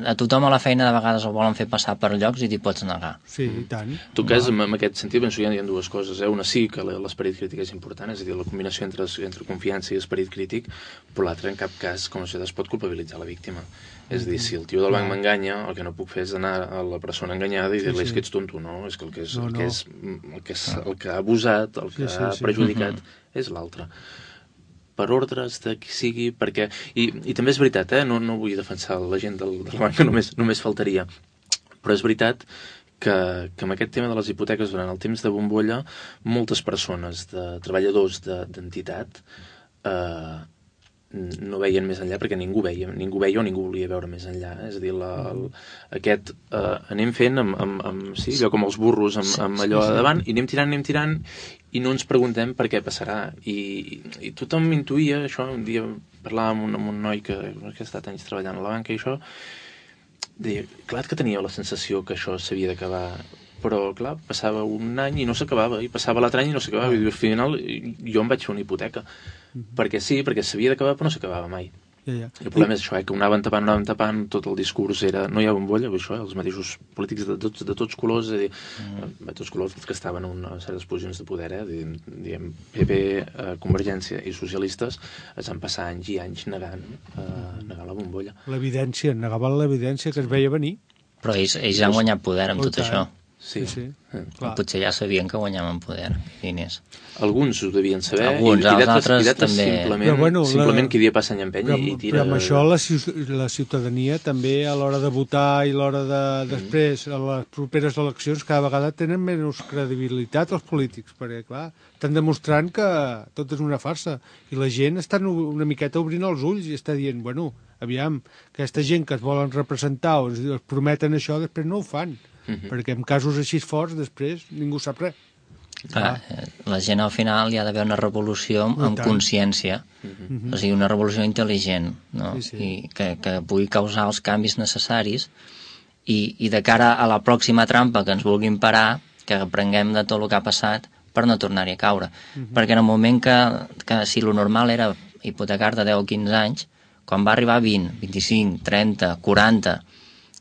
a tothom a la feina de vegades el volen fer passar per llocs i t'hi pots negar. Sí, i tant. En tot cas, en aquest sentit, penso que hi ha dues coses, eh? Una sí que l'esperit crític és important, és a dir, la combinació entre, entre confiança i esperit crític, però l'altre en cap cas, com a societat, es pot culpabilitzar la víctima. És a dir, si el tio del banc m'enganya, el que no puc fer és anar a la persona enganyada i dir-li sí, sí. que ets tonto, no? És que el que, és, no, no. El que, és, el que, és, el que ha abusat, el que sí, sí, ha perjudicat, sí. és l'altre. Per ordres de qui sigui, perquè... I, i també és veritat, eh? No, no vull defensar la gent del, del banc, que només, només faltaria. Però és veritat que, que amb aquest tema de les hipoteques, durant el temps de bombolla, moltes persones, de treballadors d'entitat, eh, no veien més enllà perquè ningú veia, ningú veia o ningú volia veure més enllà. És a dir, la, el, aquest eh, anem fent amb, amb, amb, sí, allò com els burros amb, amb allò sí, sí. davant, i anem tirant, anem tirant, i no ens preguntem per què passarà. I, i tothom intuïa això. Un dia parlàvem amb un, amb un noi que, que ha estat anys treballant a la banca i això, deia, clar que tenia la sensació que això s'havia d'acabar, però clar, passava un any i no s'acabava, i passava l'altre any i no s'acabava, i al final jo em vaig fer una hipoteca. Mm-hmm. Perquè sí, perquè s'havia d'acabar però no s'acabava mai. Ja, ja. I el problema I... és això, eh, que ho anaven tapant, anaven tapant, tot el discurs era, no hi ha bombolla, això, eh, els mateixos polítics de tots, de tots colors, és a dir, mm. de tots colors que estaven en una certes posicions de poder, eh, diguem, P P, eh, Convergència i socialistes, es van passar anys i anys negant, eh, negant la bombolla. L'evidència, negaven l'evidència que es veia venir. Però ells, ells han guanyat poder amb tot això. Sí, sí. sí. Potser ja sabien que guanyaven poder i diners. Alguns ho devien saber. Alguns, i, els altres també. Simplement, bueno, simplement la... qui dia passa any empeny però, i tira... Però amb això la, la ciutadania també a l'hora de votar i a l'hora de mm. després, a les properes eleccions, cada vegada tenen menys credibilitat els polítics, perquè clar, estan demostrant que tot és una farsa i la gent està una miqueta obrint els ulls i està dient, bueno, aviam, aquesta gent que es volen representar o es, es prometen això, després no ho fan. Uh-huh. Perquè en casos així forts després ningú sap res. Clar, la gent al final hi ha d'haver una revolució amb, amb consciència, uh-huh. o sigui, una revolució intel·ligent, no? Sí, sí. I que, que pugui causar els canvis necessaris i, i de cara a la pròxima trampa que ens vulguin parar, que aprenguem de tot el que ha passat per no tornar-hi a caure. Uh-huh. Perquè en el moment que, que si lo normal era hipotecar de deu o quinze anys, quan va arribar a vint, vint-i-cinc, trenta, quaranta,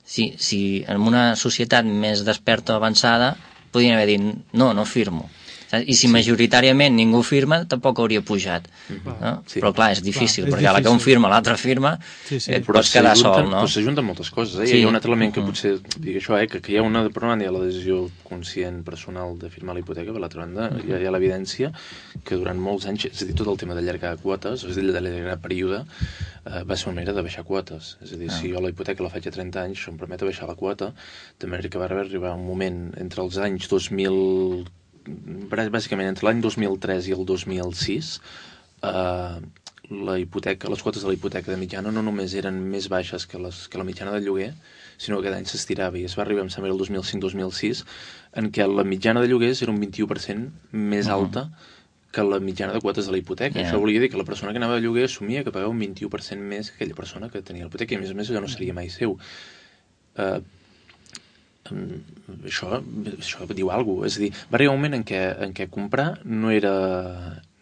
Si, si en una societat més desperta o avançada podrien haver dit, no, no firmo. I si majoritàriament ningú firma, tampoc hauria pujat. No? Sí. Però clar, és difícil, Clar, és perquè a la que un difícil. firma, l'altre firma, Sí, sí. et pots quedar sol, no? Però s'ajunten moltes coses, eh? Sí. Hi ha un altre element que potser, dic això, eh? que, que hi ha una, per una banda hi ha la decisió conscient personal de firmar la hipoteca, per l'altra banda hi ha, hi ha l'evidència que durant molts anys, és a dir, tot el tema d'allargar quotes, és a dir, d'allargar període, eh, va ser una manera de baixar quotes. És a dir, si jo la hipoteca la faig a trenta anys, això em permet baixar la quota, de manera que va arribar un moment entre els anys dos mil bàsicament entre l'any dos mil tres i el dos mil sis eh, la hipoteca, les quotes de la hipoteca de mitjana no només eren més baixes que, les, que la mitjana de lloguer, sinó que cada any s'estirava i es va arribar, em sembla, el dos mil cinc dos mil sis en què la mitjana de lloguers era un vint-i-u per cent més alta que la mitjana de quotes de la hipoteca. Yeah. Això volia dir que la persona que anava de lloguer assumia que pagava un vint-i-u per cent més que aquella persona que tenia la hipoteca i a més a més allò no seria mai seu. Eh, això, això diu alguna cosa. És a dir, va arribar un moment en què, en què comprar no era,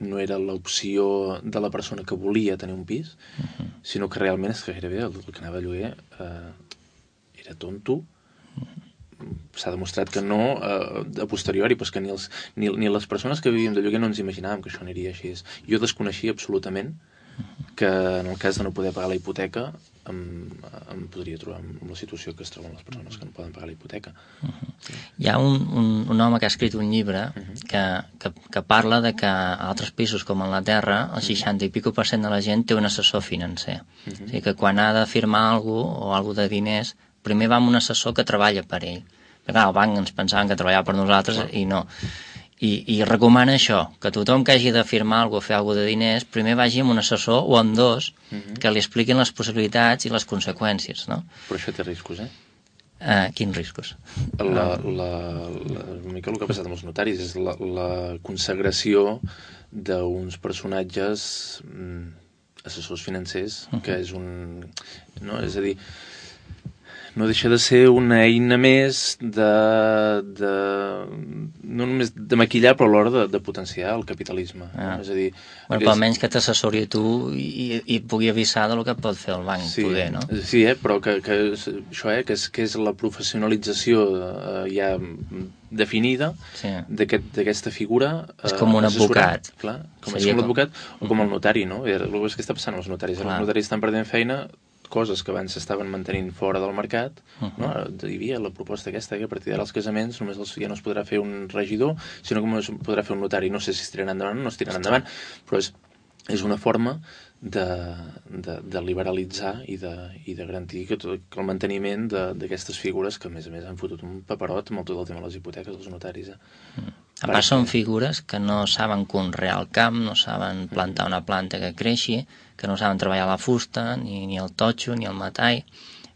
no era l'opció de la persona que volia tenir un pis, uh-huh. sinó que realment és que gairebé el, el que anava a lloguer eh, era tonto. S'ha demostrat que no, eh, a posteriori, pues que ni, els, ni, ni les persones que vivíem de lloguer no ens imaginàvem que això aniria així. Jo desconeixia absolutament que en el cas de no poder pagar la hipoteca em, em podria trobar en la situació que es troben les persones que no poden pagar la hipoteca. Uh-huh. Sí. Hi ha un, un, un home que ha escrit un llibre uh-huh. que, que, que parla de que a altres països com Anglaterra el seixanta i pico per cent de la gent té un assessor financer. Uh-huh. O sigui que quan ha de firmar alguna cosa o alguna de diners, primer va amb un assessor que treballa per ell. Perquè clar, el banc ens pensaven que treballava per nosaltres uh-huh. i no. I, i recomana això, que tothom que hagi de firmar alguna cosa o fer alguna de diners, primer vagi amb un assessor o amb dos uh-huh. que li expliquin les possibilitats i les conseqüències, no? Però això té riscos, eh? Uh, quins riscos? La, la, la, una mica el que ha passat amb els notaris és la, la consagració d'uns personatges mm, assessors financers, uh-huh. que és un... No? És a dir, no deixa de ser una eina més de, de no només de maquillar, però alhora de, de potenciar el capitalisme. Ah. És a dir... Bueno, aquest... però almenys que t'assessori a tu i, i et pugui avisar del que pot fer el banc, sí, poder, no? Sí, eh? Però que, que això, eh? que, és, que és la professionalització eh, ja definida sí. d'aquesta figura. Eh, és com un advocat. Clar, com, és com l'advocat o com el notari, no? El que està passant amb els notaris. Clar. Els notaris estan perdent feina, coses que abans s'estaven mantenint fora del mercat, uh-huh. no? Hi havia la proposta aquesta que a partir d'ara els casaments només els, ja no es podrà fer un regidor, sinó que es podrà fer un notari. No sé si es tiraran endavant o no es tiraran endavant, però és, és una forma de, de, de liberalitzar i de, i de garantir que, tot, que el manteniment d'aquestes figures que a més a més han fotut un paperot amb tot el tema de les hipoteques dels notaris. Eh? Uh-huh. A part són figures que no saben conrear el camp, no saben plantar una planta que creixi, que no saben treballar la fusta, ni, ni el totxo, ni el metall.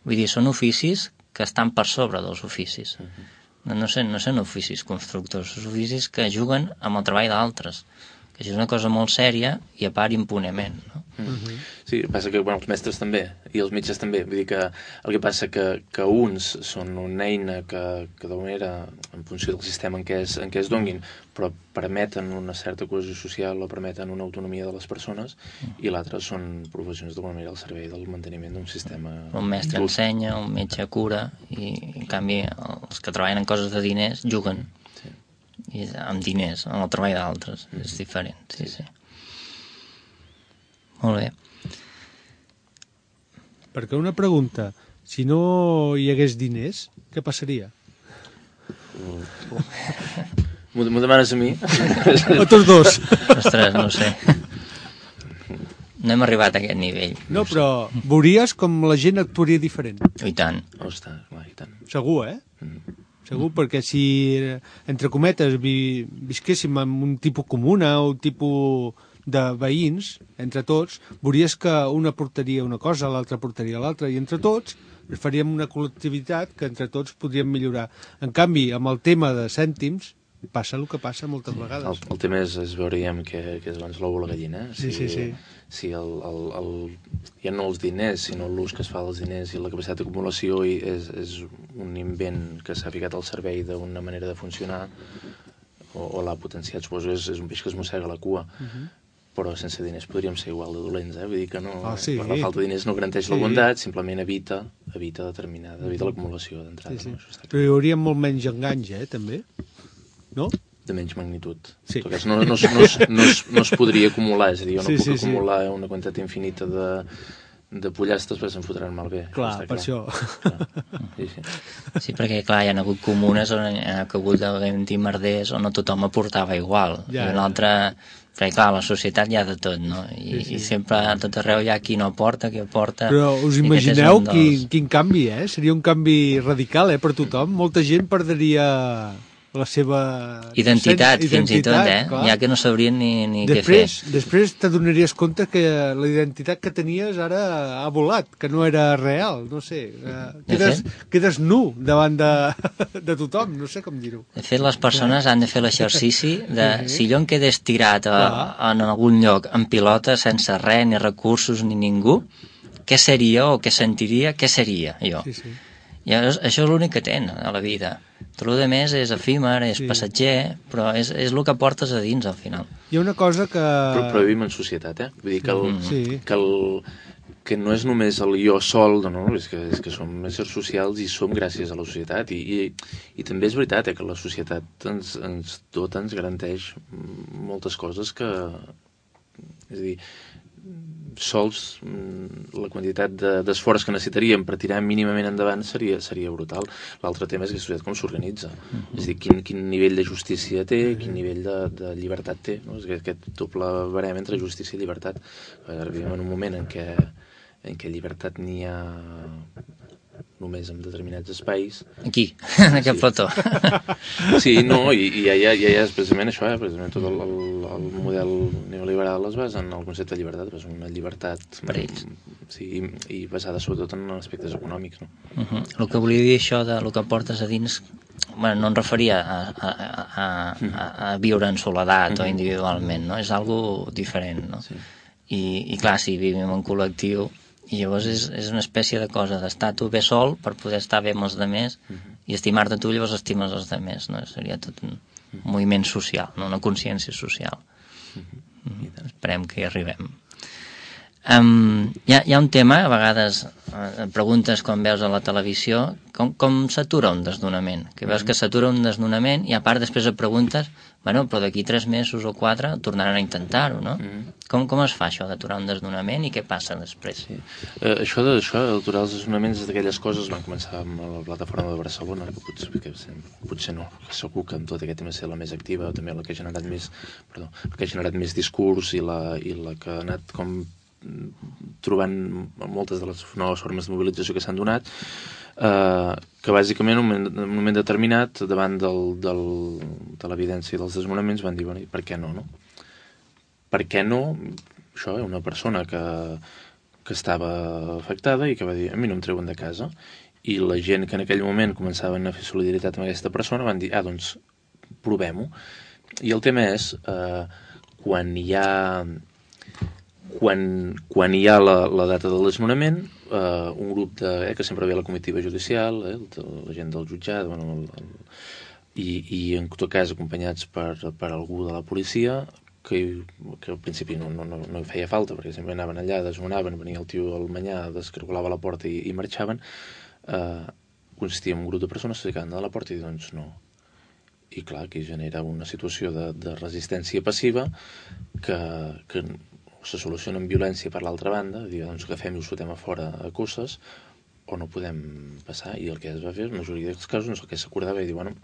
Vull dir, són oficis que estan per sobre dels oficis. Uh-huh. No, no, són, no són oficis constructors, són oficis que juguen amb el treball d'altres. Que això és una cosa molt sèria i a part impunement, no? Uh-huh. Sí, passa que bueno, els mestres també i els metges també, vull dir que el que passa que, que uns són una eina que, que d'alguna manera en funció del sistema en què es, en què es donguin, però permeten una certa cohesió social o permeten una autonomia de les persones uh-huh. i l'altre són professions d'alguna manera al servei del manteniment d'un sistema. Un mestre just. Ensenya, un metge cura i en canvi els que treballen en coses de diners juguen sí. I amb diners, amb el treball d'altres uh-huh. és diferent, sí, sí, sí. Molt bé. Perquè una pregunta, si no hi hagués diners, què passaria? M'ho demanes a mi? A tots dos. Ostres, no ho sé. No hem arribat a aquest nivell. No, però veuries com la gent actuaria diferent. I tant. Ostres, clar, i tant. Segur, eh? Mm. Segur, perquè si, entre cometes, vi, visquéssim en un tipus comuna o un tipus de veïns, entre tots, veuries que una portaria una cosa, l'altra portaria l'altra, i entre tots faríem una col·lectivitat que entre tots podríem millorar. En canvi, amb el tema de cèntims, passa el que passa moltes vegades. El, el tema és, és veuríem que, que és abans l'ou o la gallina. Sí, si, sí, sí. Si el, el, el, ja no els diners, sinó l'ús que es fa dels diners i la capacitat d'acumulació és, és un invent que s'ha ficat al servei d'una manera de funcionar o, o l'ha potenciat, suposo, és, és un peix que es mossega la cua. Uh-huh. però sense diners podríem ser igual de dolents, eh? Vull dir que no, oh, sí. la falta de diners no garanteix sí. la bondat, simplement evita, evita determinada, evita l'acumulació d'entrada. Sí, sí. No? Però hi hauria molt menys enganys, eh, també? No? De menys magnitud. Sí. No, no, no, no, es, no, es, no es podria acumular, és a dir, jo no sí, puc sí, acumular sí. una quantitat infinita de, de pollastres perquè se'n fotran malbé. Clar, per clar. Això. Clar. Sí, sí. Sí, perquè clar, hi ha hagut comunes on hi ha hagut d'haver-hi merders on no tothom aportava igual. Ja, I una altra... Perquè clar, la societat hi ha de tot, no? I, sí, sí. I sempre a tot arreu hi ha qui no aporta, qui aporta... Però us imagineu dels... quin, quin canvi, eh? Seria un canvi radical, eh, per tothom. Molta gent perdria... la seva... Identitat, identitat fins i tot, eh? Clar. Ja que no sabrien ni, ni després, què fer. Després t'adonaries compte que la identitat que tenies ara ha volat, que no era real, no sé. Quedes, quedes nu davant de, de tothom, no sé com dir-ho. De fet, les persones han de fer l'exercici de si jo em quedés tirat a, en algun lloc en pilota sense res, ni recursos, ni ningú, què seria o què sentiria, què seria jo? Sí, sí. I això és l'únic que tenen a la vida. Tot el més és efímer, és sí. passatger, però és, és el que portes a dins al final. Hi ha una cosa que... Però, però vivim en societat, eh? Vull dir que, el, sí. que, el, que no és només el jo sol, no, és, que, és que som éssers socials i som gràcies a la societat. I, i, i també és veritat eh, que la societat ens, ens dota, ens garanteix moltes coses que... És a dir, sols la quantitat d'esforç que necessitaríem per tirar mínimament endavant seria, seria brutal. L'altre tema és que la societat com s'organitza. Mm-hmm. És a dir, quin, quin nivell de justícia té, quin nivell de, de llibertat té. No? És que aquest doble barem entre justícia i llibertat. Ara vivim en un moment en què, en què llibertat n'hi ha només en determinats espais. Aquí, en aquest sí. plató. Sí, no, i, i ja, ja, ja és precisament això, eh? Precisament tot el, el, el model neoliberal es basa en el concepte de llibertat, és una llibertat per ells. Sí, i, i basada sobretot en aspectes econòmics. No? Uh-huh. El que volia dir això de el que portes a dins, bueno, no em referia a, a, a, a, a viure en soledat uh-huh. o individualment, no? És algo diferent, no? Sí. I, i clar, si vivim en col·lectiu, i llavors és, és una espècie de cosa d'estar tu bé sol per poder estar bé amb els demés uh-huh. i estimar-te tu, llavors estimes els demés, no? Seria tot un uh-huh. moviment social, no? Una consciència social. Uh-huh. Uh-huh. Esperem que hi arribem. Um, hi, ha, hi ha un tema, a vegades eh, preguntes quan veus a la televisió, com, com s'atura un desnonament? Que veus que s'atura un desnonament i a part després et preguntes, bueno, però d'aquí tres mesos o quatre tornaran a intentar-ho, no? Mm. Com, com es fa això d'aturar un desnonament i què passa després? Sí. Eh, això d'aturar els desnonaments d'aquelles coses van començar amb la plataforma de Barcelona, que potser, que potser no, que segur que amb tot aquest tema ser la més activa, també la que ha generat més, perdó, la que ha generat més discurs i la, i la que ha anat com trobant moltes de les noves formes de mobilització que s'han donat, eh, que bàsicament en un moment, en un moment determinat davant del, del, de l'evidència dels desnonaments van dir, bueno, per què no, no? Per què no? Això, eh, una persona que, que estava afectada i que va dir, a mi no em treuen de casa, i la gent que en aquell moment començaven a fer solidaritat amb aquesta persona van dir, ah, doncs provem-ho. I el tema és eh, quan hi ha Quan, quan hi ha la, la data del desnonament, eh, un grup de, eh, que sempre ve a la comitiva judicial, eh, la gent del jutjat, bueno, el, el, i, i en tot cas acompanyats per, per algú de la policia, que, que al principi no, no, no, no hi feia falta, perquè sempre anaven allà, desnonaven, venia el tio al manyà, descargolava la porta i, i marxaven, eh, consistia en un grup de persones que s'acaben de la porta i diuen, doncs no. I clar, aquí genera una situació de, de resistència passiva que, que se soluciona amb violència per l'altra banda, dir, doncs agafem i ho fotem a fora a cosses, o no podem passar, i el que es va fer, en la majoria dels casos, no és el que s'acordava i dir, bueno,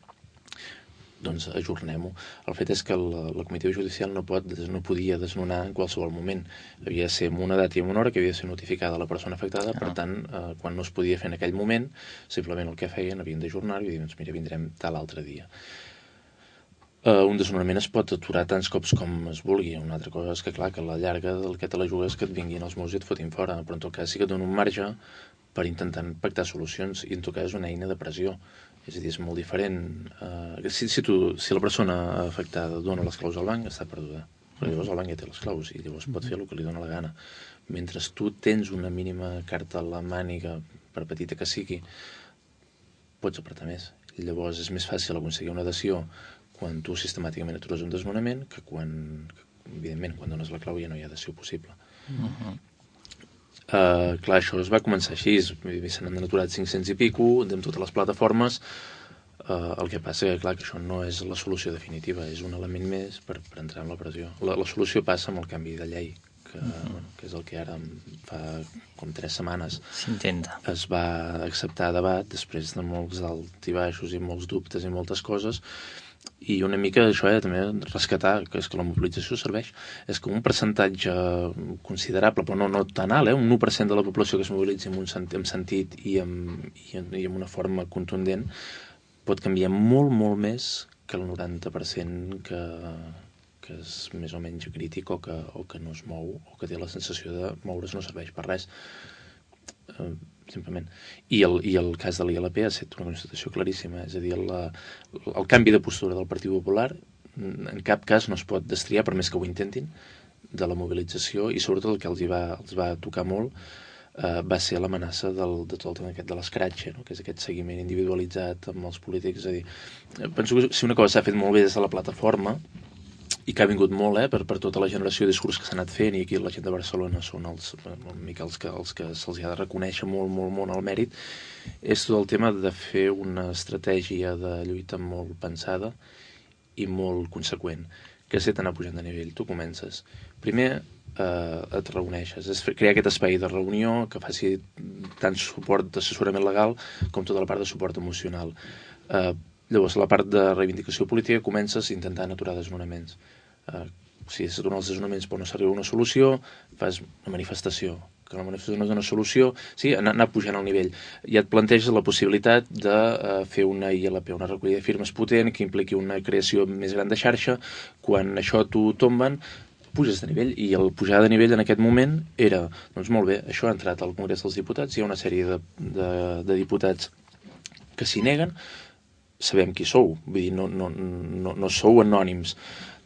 doncs ajornem-ho. El fet és que la, la comitiva judicial no, pot, no podia desnonar en qualsevol moment. Havia de ser en una data i en una hora que havia de ser notificada la persona afectada, per tant, eh, quan no es podia fer en aquell moment, simplement el que feien, havien d'ajornar i dir, doncs mira, vindrem tal altre dia. Uh, un desnonament es pot aturar tants cops com es vulgui. Una altra cosa és que, clar, que a la llarga del que te la jugues que et vinguin els meus i et fotin fora, però en tot cas sí que et dona un marge per intentar pactar solucions i en tot cas és una eina de pressió. És a dir, és molt diferent. Uh, si, si, tu, si la persona afectada dona les claus al banc, està perduda. Però llavors el banc ja té les claus i llavors pot fer el que li dona la gana. Mentre tu tens una mínima carta a la màniga, per petita que sigui, pots apretar més. I llavors és més fàcil aconseguir una adhesió quan tu sistemàticament atures un desnonament que quan, evidentment, quan dones la clau ja no hi ha adhesió possible. Uh-huh. Uh, clar, això es va començar així, se n'han aturat cinc-cents i pico, amb totes les plataformes. Uh, el que passa que, clar, que això no és la solució definitiva, és un element més per, per entrar en la pressió. La, la solució passa amb el canvi de llei, que, uh-huh. bueno, que és el que ara fa com tres setmanes s'intenta. Es va acceptar a debat, després de molts alts i baixos i molts dubtes i moltes coses, i una mica això, eh, també rescatar, que és que la mobilització serveix, és que un percentatge considerable, però no, no tan alt, eh, un u per cent de la població que es mobilitzi amb un sentit, amb sentit i, amb, i, amb, i amb una forma contundent, pot canviar molt, molt més que el noranta per cent que, que és més o menys crític o que, o que no es mou, o que té la sensació de moure's no serveix per res. Eh, simplement. I el, i el cas de l'I L P ha estat una constatació claríssima, és a dir, la, el canvi de postura del Partit Popular en cap cas no es pot destriar, per més que ho intentin, de la mobilització, i sobretot el que els, hi va, els va tocar molt eh, va ser l'amenaça del, de tot el tema aquest de l'escratx, no? Que és aquest seguiment individualitzat amb els polítics. És a dir, penso que si una cosa s'ha fet molt bé des de la plataforma, i que ha vingut molt eh, per, per tota la generació de discurs que s'ha anat fent, i aquí la gent de Barcelona són els, una mica els que, els que se'ls ha de reconèixer molt, molt, molt el mèrit, és tot el tema de fer una estratègia de lluita molt pensada i molt conseqüent, que és anar pujant de nivell. Tu comences. Primer eh, et reuneixes, és crear aquest espai de reunió que faci tant suport d'assessorament legal com tota la part de suport emocional. Eh, Llavors, la part de reivindicació política comences intentant aturar desnonaments. Uh, si és aturar els desnonaments però no s'arriba a una solució, fas una manifestació. Que la manifestació no és una solució, sí, anar, anar pujant al nivell. Ja et planteges la possibilitat de uh, fer una I L P, una recollida de firmes potent, que impliqui una creació més gran de xarxa. Quan això t'ho tomben, puges de nivell, i el pujar de nivell en aquest moment era, doncs molt bé, això ha entrat al Congrés dels Diputats, hi ha una sèrie de, de, de diputats que s'hi neguen, sabem qui sou, vull dir, no, no, no, no sou anònims,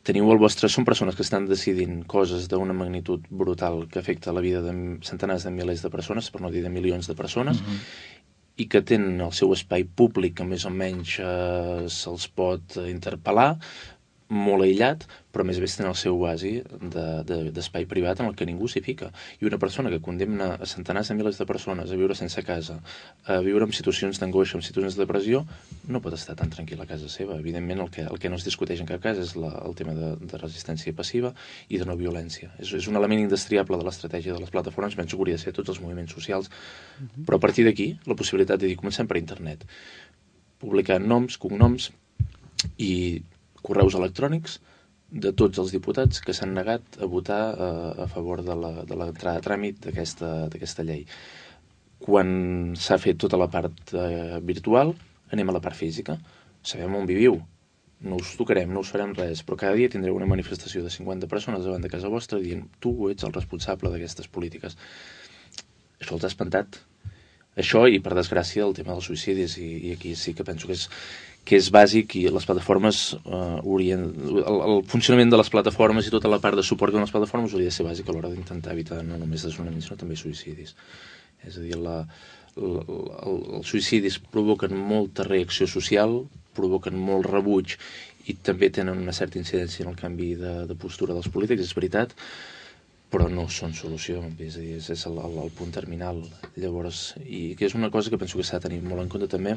teniu el vostre, són persones que estan decidint coses d'una magnitud brutal que afecta la vida de centenars de milers de persones, per no dir de milions de persones, uh-huh. i que tenen el seu espai públic que més o menys eh, se'ls pot interpel·lar, molt aïllat, però més bé tenen el seu oasi de, de, d'espai privat en el que ningú s'hi fica. I una persona que condemna a centenars de milers de persones a viure sense casa, a viure en situacions d'angoixa, en situacions de depressió, no pot estar tan tranquil·la a casa seva. Evidentment, el que, el que no es discuteix en cap cas és la, el tema de, de resistència passiva i de no violència. És, és un element indestriable de l'estratègia de les plataformes, penso que hauria de ser tots els moviments socials, uh-huh. però a partir d'aquí, la possibilitat de dir, comencem per internet, publicar noms, cognoms i correus electrònics de tots els diputats que s'han negat a votar eh, a favor de la, de l'entrada a tràmit d'aquesta, d'aquesta llei. Quan s'ha fet tota la part eh, virtual, anem a la part física. Sabem on viviu, no us tocarem, no us farem res, però cada dia tindreu una manifestació de cinquanta persones davant de casa vostra dient tu ets el responsable d'aquestes polítiques. Això els ha espantat. Això i, per desgràcia, el tema dels suïcidis, i, i aquí sí que penso que és, que és bàsic, i les plataformes eh, haurien, el, el funcionament de les plataformes i tota la part de suport que donen les plataformes hauria de ser bàsic a l'hora d'intentar evitar no només desnonaments, sinó també suïcidis. És a dir, la, la, el, els suïcidis provoquen molta reacció social, provoquen molt rebuig i també tenen una certa incidència en el canvi de, de postura dels polítics, és veritat, però no són solució, és a dir, és el, el, el punt terminal. Llavors, i que és una cosa que penso que s'ha de tenir molt en compte també,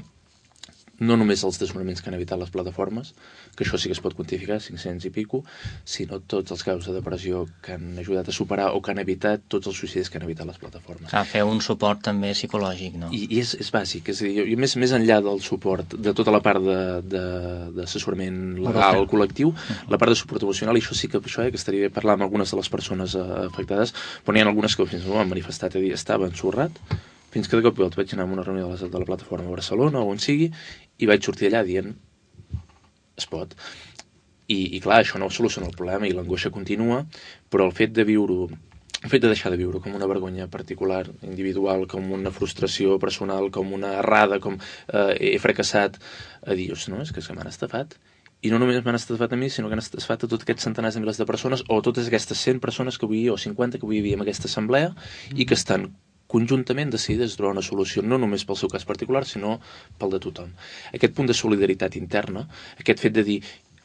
no només els desnonaments que han evitat les plataformes, que això sí que es pot quantificar, cinc-cents i pico, sinó tots els casos de depressió que han ajudat a superar o que han evitat tots els suïcidis que han evitat les plataformes. Clar, fer un suport també psicològic, no? I, i és, és bàsic, és a dir, jo, més, més enllà del suport, de tota la part d'assessorament legal, col·lectiu, la part de suport emocional, i això sí que, això, eh, que estaria bé parlar amb algunes de les persones eh, afectades, però n'hi ha algunes que fins i tot han manifestat, a dir, estava ensorrat, fins que de cop i volta vaig anar a una reunió de la, de la plataforma a Barcelona o on sigui, i vaig sortir allà dient es pot. I, i clar, això no soluciona el problema i l'angoixa continua, però el fet de viure-ho, el fet de deixar de viure com una vergonya particular, individual, com una frustració personal, com una errada, com eh, he fracassat, a dir, no, és que, és que m'han estafat. I no només m'han estafat a mi, sinó que han estafat a tots aquests centenars de milers de persones, o totes aquestes cent persones que avui, o cinquanta que avui hi havia en aquesta assemblea, i que estan conjuntament decidides trobar una solució no només pel seu cas particular, sinó pel de tothom. Aquest punt de solidaritat interna, aquest fet de dir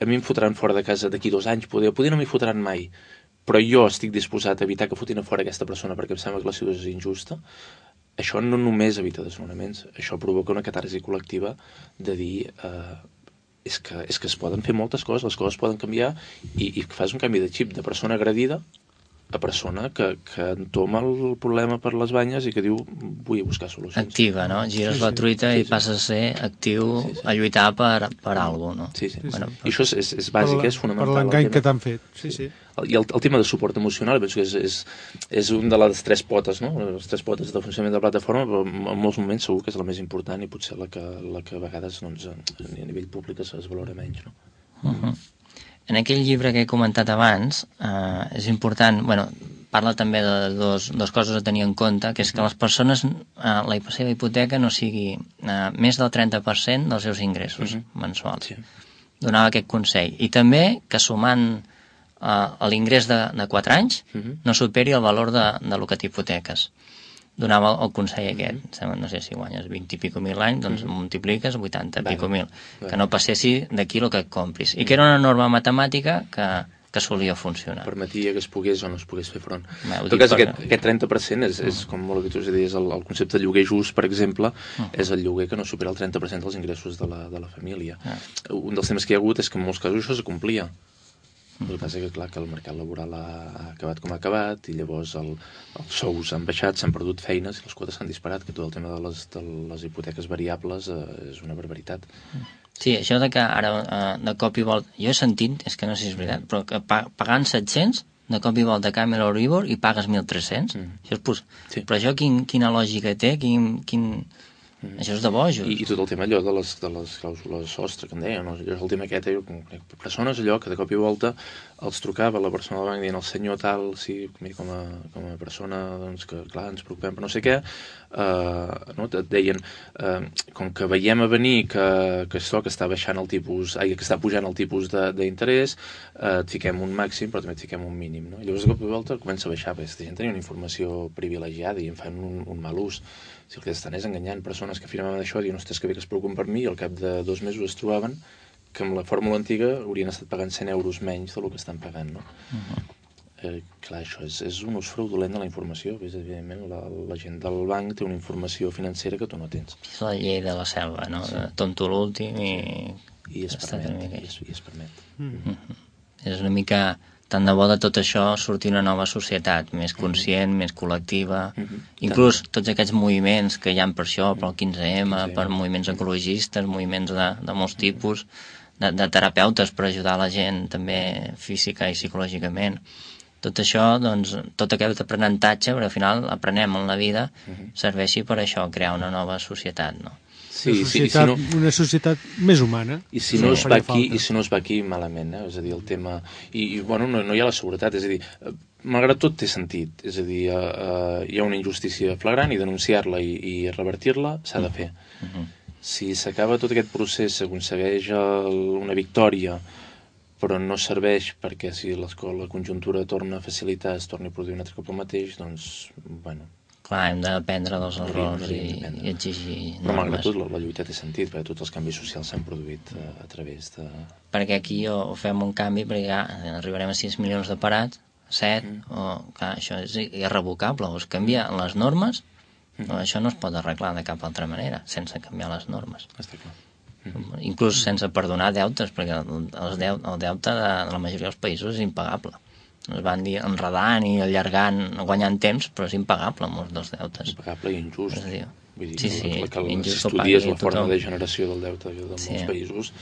a mi em fotran fora de casa d'aquí dos anys, poder, poder no m'hi fotran mai, però jo estic disposat a evitar que fotin a fora aquesta persona perquè em sembla que la situació és injusta, això no només evita desnonaments, això provoca una catarsi col·lectiva de dir eh, és, que, és que es poden fer moltes coses, les coses poden canviar i, i fas un canvi de xip de persona agredida a persona que, que entoma el problema per les banyes i que diu vull buscar solucions. Activa, no? Gires sí, la sí, truita sí, i sí. passes a ser actiu sí, sí. a lluitar per, per alguna cosa, no? Sí, sí. sí, bueno, sí. I això és, és, és bàsic, per la, és fonamental. Per l'engany que t'han fet, sí, sí. I el, el tema de suport emocional penso que és, és, és un de les tres potes, no? Les tres potes de funcionament de la plataforma, però en molts moments segur que és la més important i potser la que, la que a vegades doncs, a nivell públic es, es valora menys, no? Uh -huh. En aquell llibre que he comentat abans, eh, és important, bueno, parla també de dos, dos coses a tenir en compte, que és que les persones, eh, la seva hipoteca no sigui eh, més del trenta per cent dels seus ingressos uh -huh. mensuals. Sí. Donava aquest consell. I també que sumant eh, l'ingrés de, de quatre anys uh -huh. no superi el valor de, de lo que t'hipoteques. Donava el, el consell aquest, uh -huh. no sé si guanyes vint i pico mil l'any, doncs uh -huh. multipliques vuitanta vale. Pico mil, vale. Que no passessi d'aquí el que et compris. I que era una norma matemàtica que, que solia funcionar. Permetia que es pogués o no es pogués fer front. Bé, en tot cas, aquest, aquest trenta per cent és, és com molt habitual, és a dir, és el, el concepte de lloguer just, per exemple, uh -huh. és el lloguer que no supera el trenta per cent dels ingressos de la, de la família. Uh -huh. Un dels temes que hi ha hagut és que en molts casos això es complia. El que passa és que, clar, que el mercat laboral ha acabat com ha acabat i llavors el, els sous han baixat, s'han perdut feines i les quotes s'han disparat, que tot el tema de les, de les hipoteques variables eh, és una barbaritat. Sí, això de que ara eh, de cop i volta, jo he sentit, és que no sé si és veritat, però que pagant set-cents de cop i volta canvia l'Euribor i pagues mil tres-cents. Mm. Això és pos... sí. Però això quin, quina lògica té? Quin... quin... Mm. Això és de bojos. I, I tot el tema allò de les, de les clàusules sostre, que em deia, no? Allò és el tema aquest, jo conec persones allò que de cop i volta els trucava la persona del banc dient el senyor tal, sí, com a, com a persona doncs, que clar, ens preocupem per no sé què, eh, no? Et deien eh, com que veiem a venir que, que això que està baixant el tipus, ai, que està pujant el tipus d'interès, eh, et fiquem un màxim però també et fiquem un mínim, no? I llavors de cop i volta comença a baixar, perquè aquesta gent tenia una informació privilegiada i en fan un, un mal ús. Si el que estan és enganyant persones que afirmaven això, diuen, ostres, que bé que es preocupen per mi, i al cap de dos mesos es trobaven que amb la fórmula antiga haurien estat pagant cent euros menys del que estan pagant, no? Uh -huh. eh, clar, això és, és un ús fraudulent de la informació. És, evidentment, la, la gent del banc té una informació financera que tu no tens. És la llei de la selva, no? Sí. Tonto l'últim i... I es permet. I es, i es permet. Uh -huh. És una mica... Tant de bo de tot això sortir una nova societat, més conscient, mm-hmm. més col·lectiva, mm-hmm. inclús tots aquests moviments que hi ha per això, pel quinze ema, quinze ema. Per moviments ecologistes, moviments de, de molts tipus, de, de terapeutes per ajudar la gent també física i psicològicament. Tot això, doncs, tot aquest aprenentatge, perquè al final aprenem en la vida, mm-hmm. serveixi per això, crear una nova societat, no? Sí, una, societat, sí, si no, una societat més humana. I si, no es va aquí, I si no es va aquí, malament, eh? És a dir, el tema... I, i bueno, no, no hi ha la seguretat, és a dir, malgrat tot té sentit, és a dir, uh, uh, hi ha una injustícia flagrant i denunciar-la i, i revertir-la s'ha de fer. Uh -huh. Si s'acaba tot aquest procés, s'aconsegueix una victòria, però no serveix perquè si la conjuntura torna a facilitar, es torni a produir un altre cop el mateix, doncs, bueno... Clar, hem d'aprendre dels errors i, i exigir normes. Però malgrat tot, la, la lluita té sentit, perquè tots els canvis socials s'han produït a, a través de... Perquè aquí o, o fem un canvi, perquè ja arribarem a sis milions de parats, set, mm. o, clar, això és irrevocable, o es canvia les normes, mm. o això no es pot arreglar de cap altra manera, sense canviar les normes. Està clar. Mm. Inclús sense perdonar deutes, perquè el, el, deute, el deute de, de la majoria dels països és impagable. Es van dir enredant i allargant, guanyant temps, però és impagable molts dels deutes. Impagable i injust. Dir, Vull dir, sí, sí, que, que injust si estudies la forma tothom. De generació del deute de molts sí. països,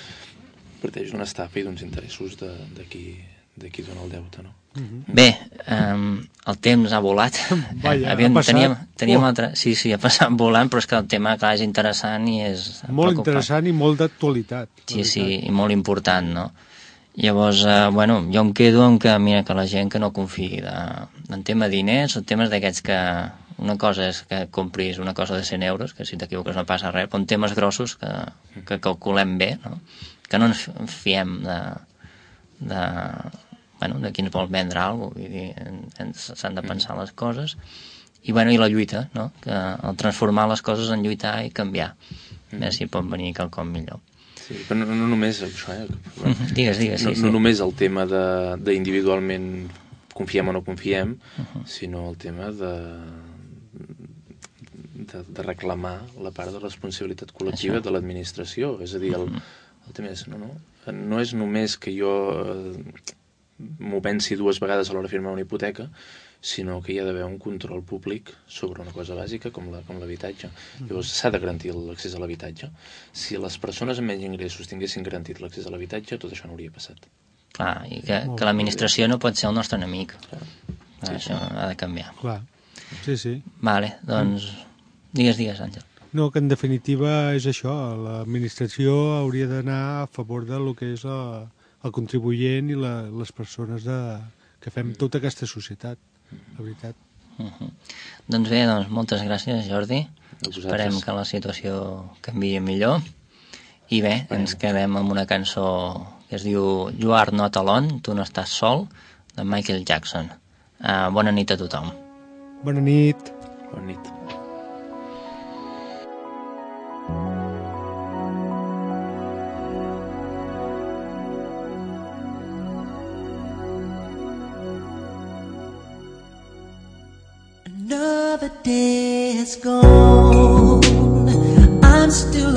parteix d'una estafa i d'uns interessos de, de, qui, de qui dona el deute, no? Mm-hmm. Bé, um, el temps ha volat. Vaja, Aviam, ha passat. Teníem, teníem oh. altre... Sí, sí, ha passat volant, però és que el tema, clar, és interessant i és... Molt preocupant. Interessant i molt d'actualitat. Sí, sí, i molt important, no? Llavors, eh, bueno, jo em quedo amb que, mira, que la gent que no confiï de, en tema diners o temes d'aquests que una cosa és que compris una cosa de cent euros, que si t'equivoques no passa res, però en temes grossos que, que calculem bé, no? Que no ens fiem de, de, bueno, de qui ens vol vendre alguna cosa, vull dir, s'han de pensar les coses, i, bueno, i la lluita, no? Que el transformar les coses en lluitar i canviar, a veure si pot venir quelcom millor. Sí, però no, no només això, eh? Mm -hmm. Digues, digues, sí, no, sí. No només el tema d'individualment confiem o no confiem, uh -huh. sinó el tema de, de, de reclamar la part de responsabilitat col·lectiva Això. de l'administració. És a dir, el, uh -huh. el tema és, no, no, no és només que jo eh, m'ho pensi dues vegades a l'hora de firmar una hipoteca, sinó que hi ha d'haver un control públic sobre una cosa bàsica com la, com l'habitatge. Uh -huh. Llavors s'ha de garantir l'accés a l'habitatge. Si les persones amb menys ingressos tinguessin garantit l'accés a l'habitatge, tot això no hauria passat. Clar, i que, que l'administració no pot ser el nostre enemic. Clar. Clar, Sí, això sí. ha de canviar. Clar, sí, sí. Vale, doncs... Digues, digues, Àngel. No, que en definitiva és això, l'administració hauria d'anar a favor de lo que és el, el contribuent i la, les persones de, que fem tota aquesta societat, la veritat. Uh -huh. Doncs bé, doncs moltes gràcies, Jordi. Vosaltres. Esperem que la situació canviï millor. I bé, Bueno. ens quedem amb una cançó que es diu You Are Not Alone, Tu no estàs sol, de Michael Jackson. Uh, bona nit a tothom. Bona nit. Bona nit. Another day has gone, I'm still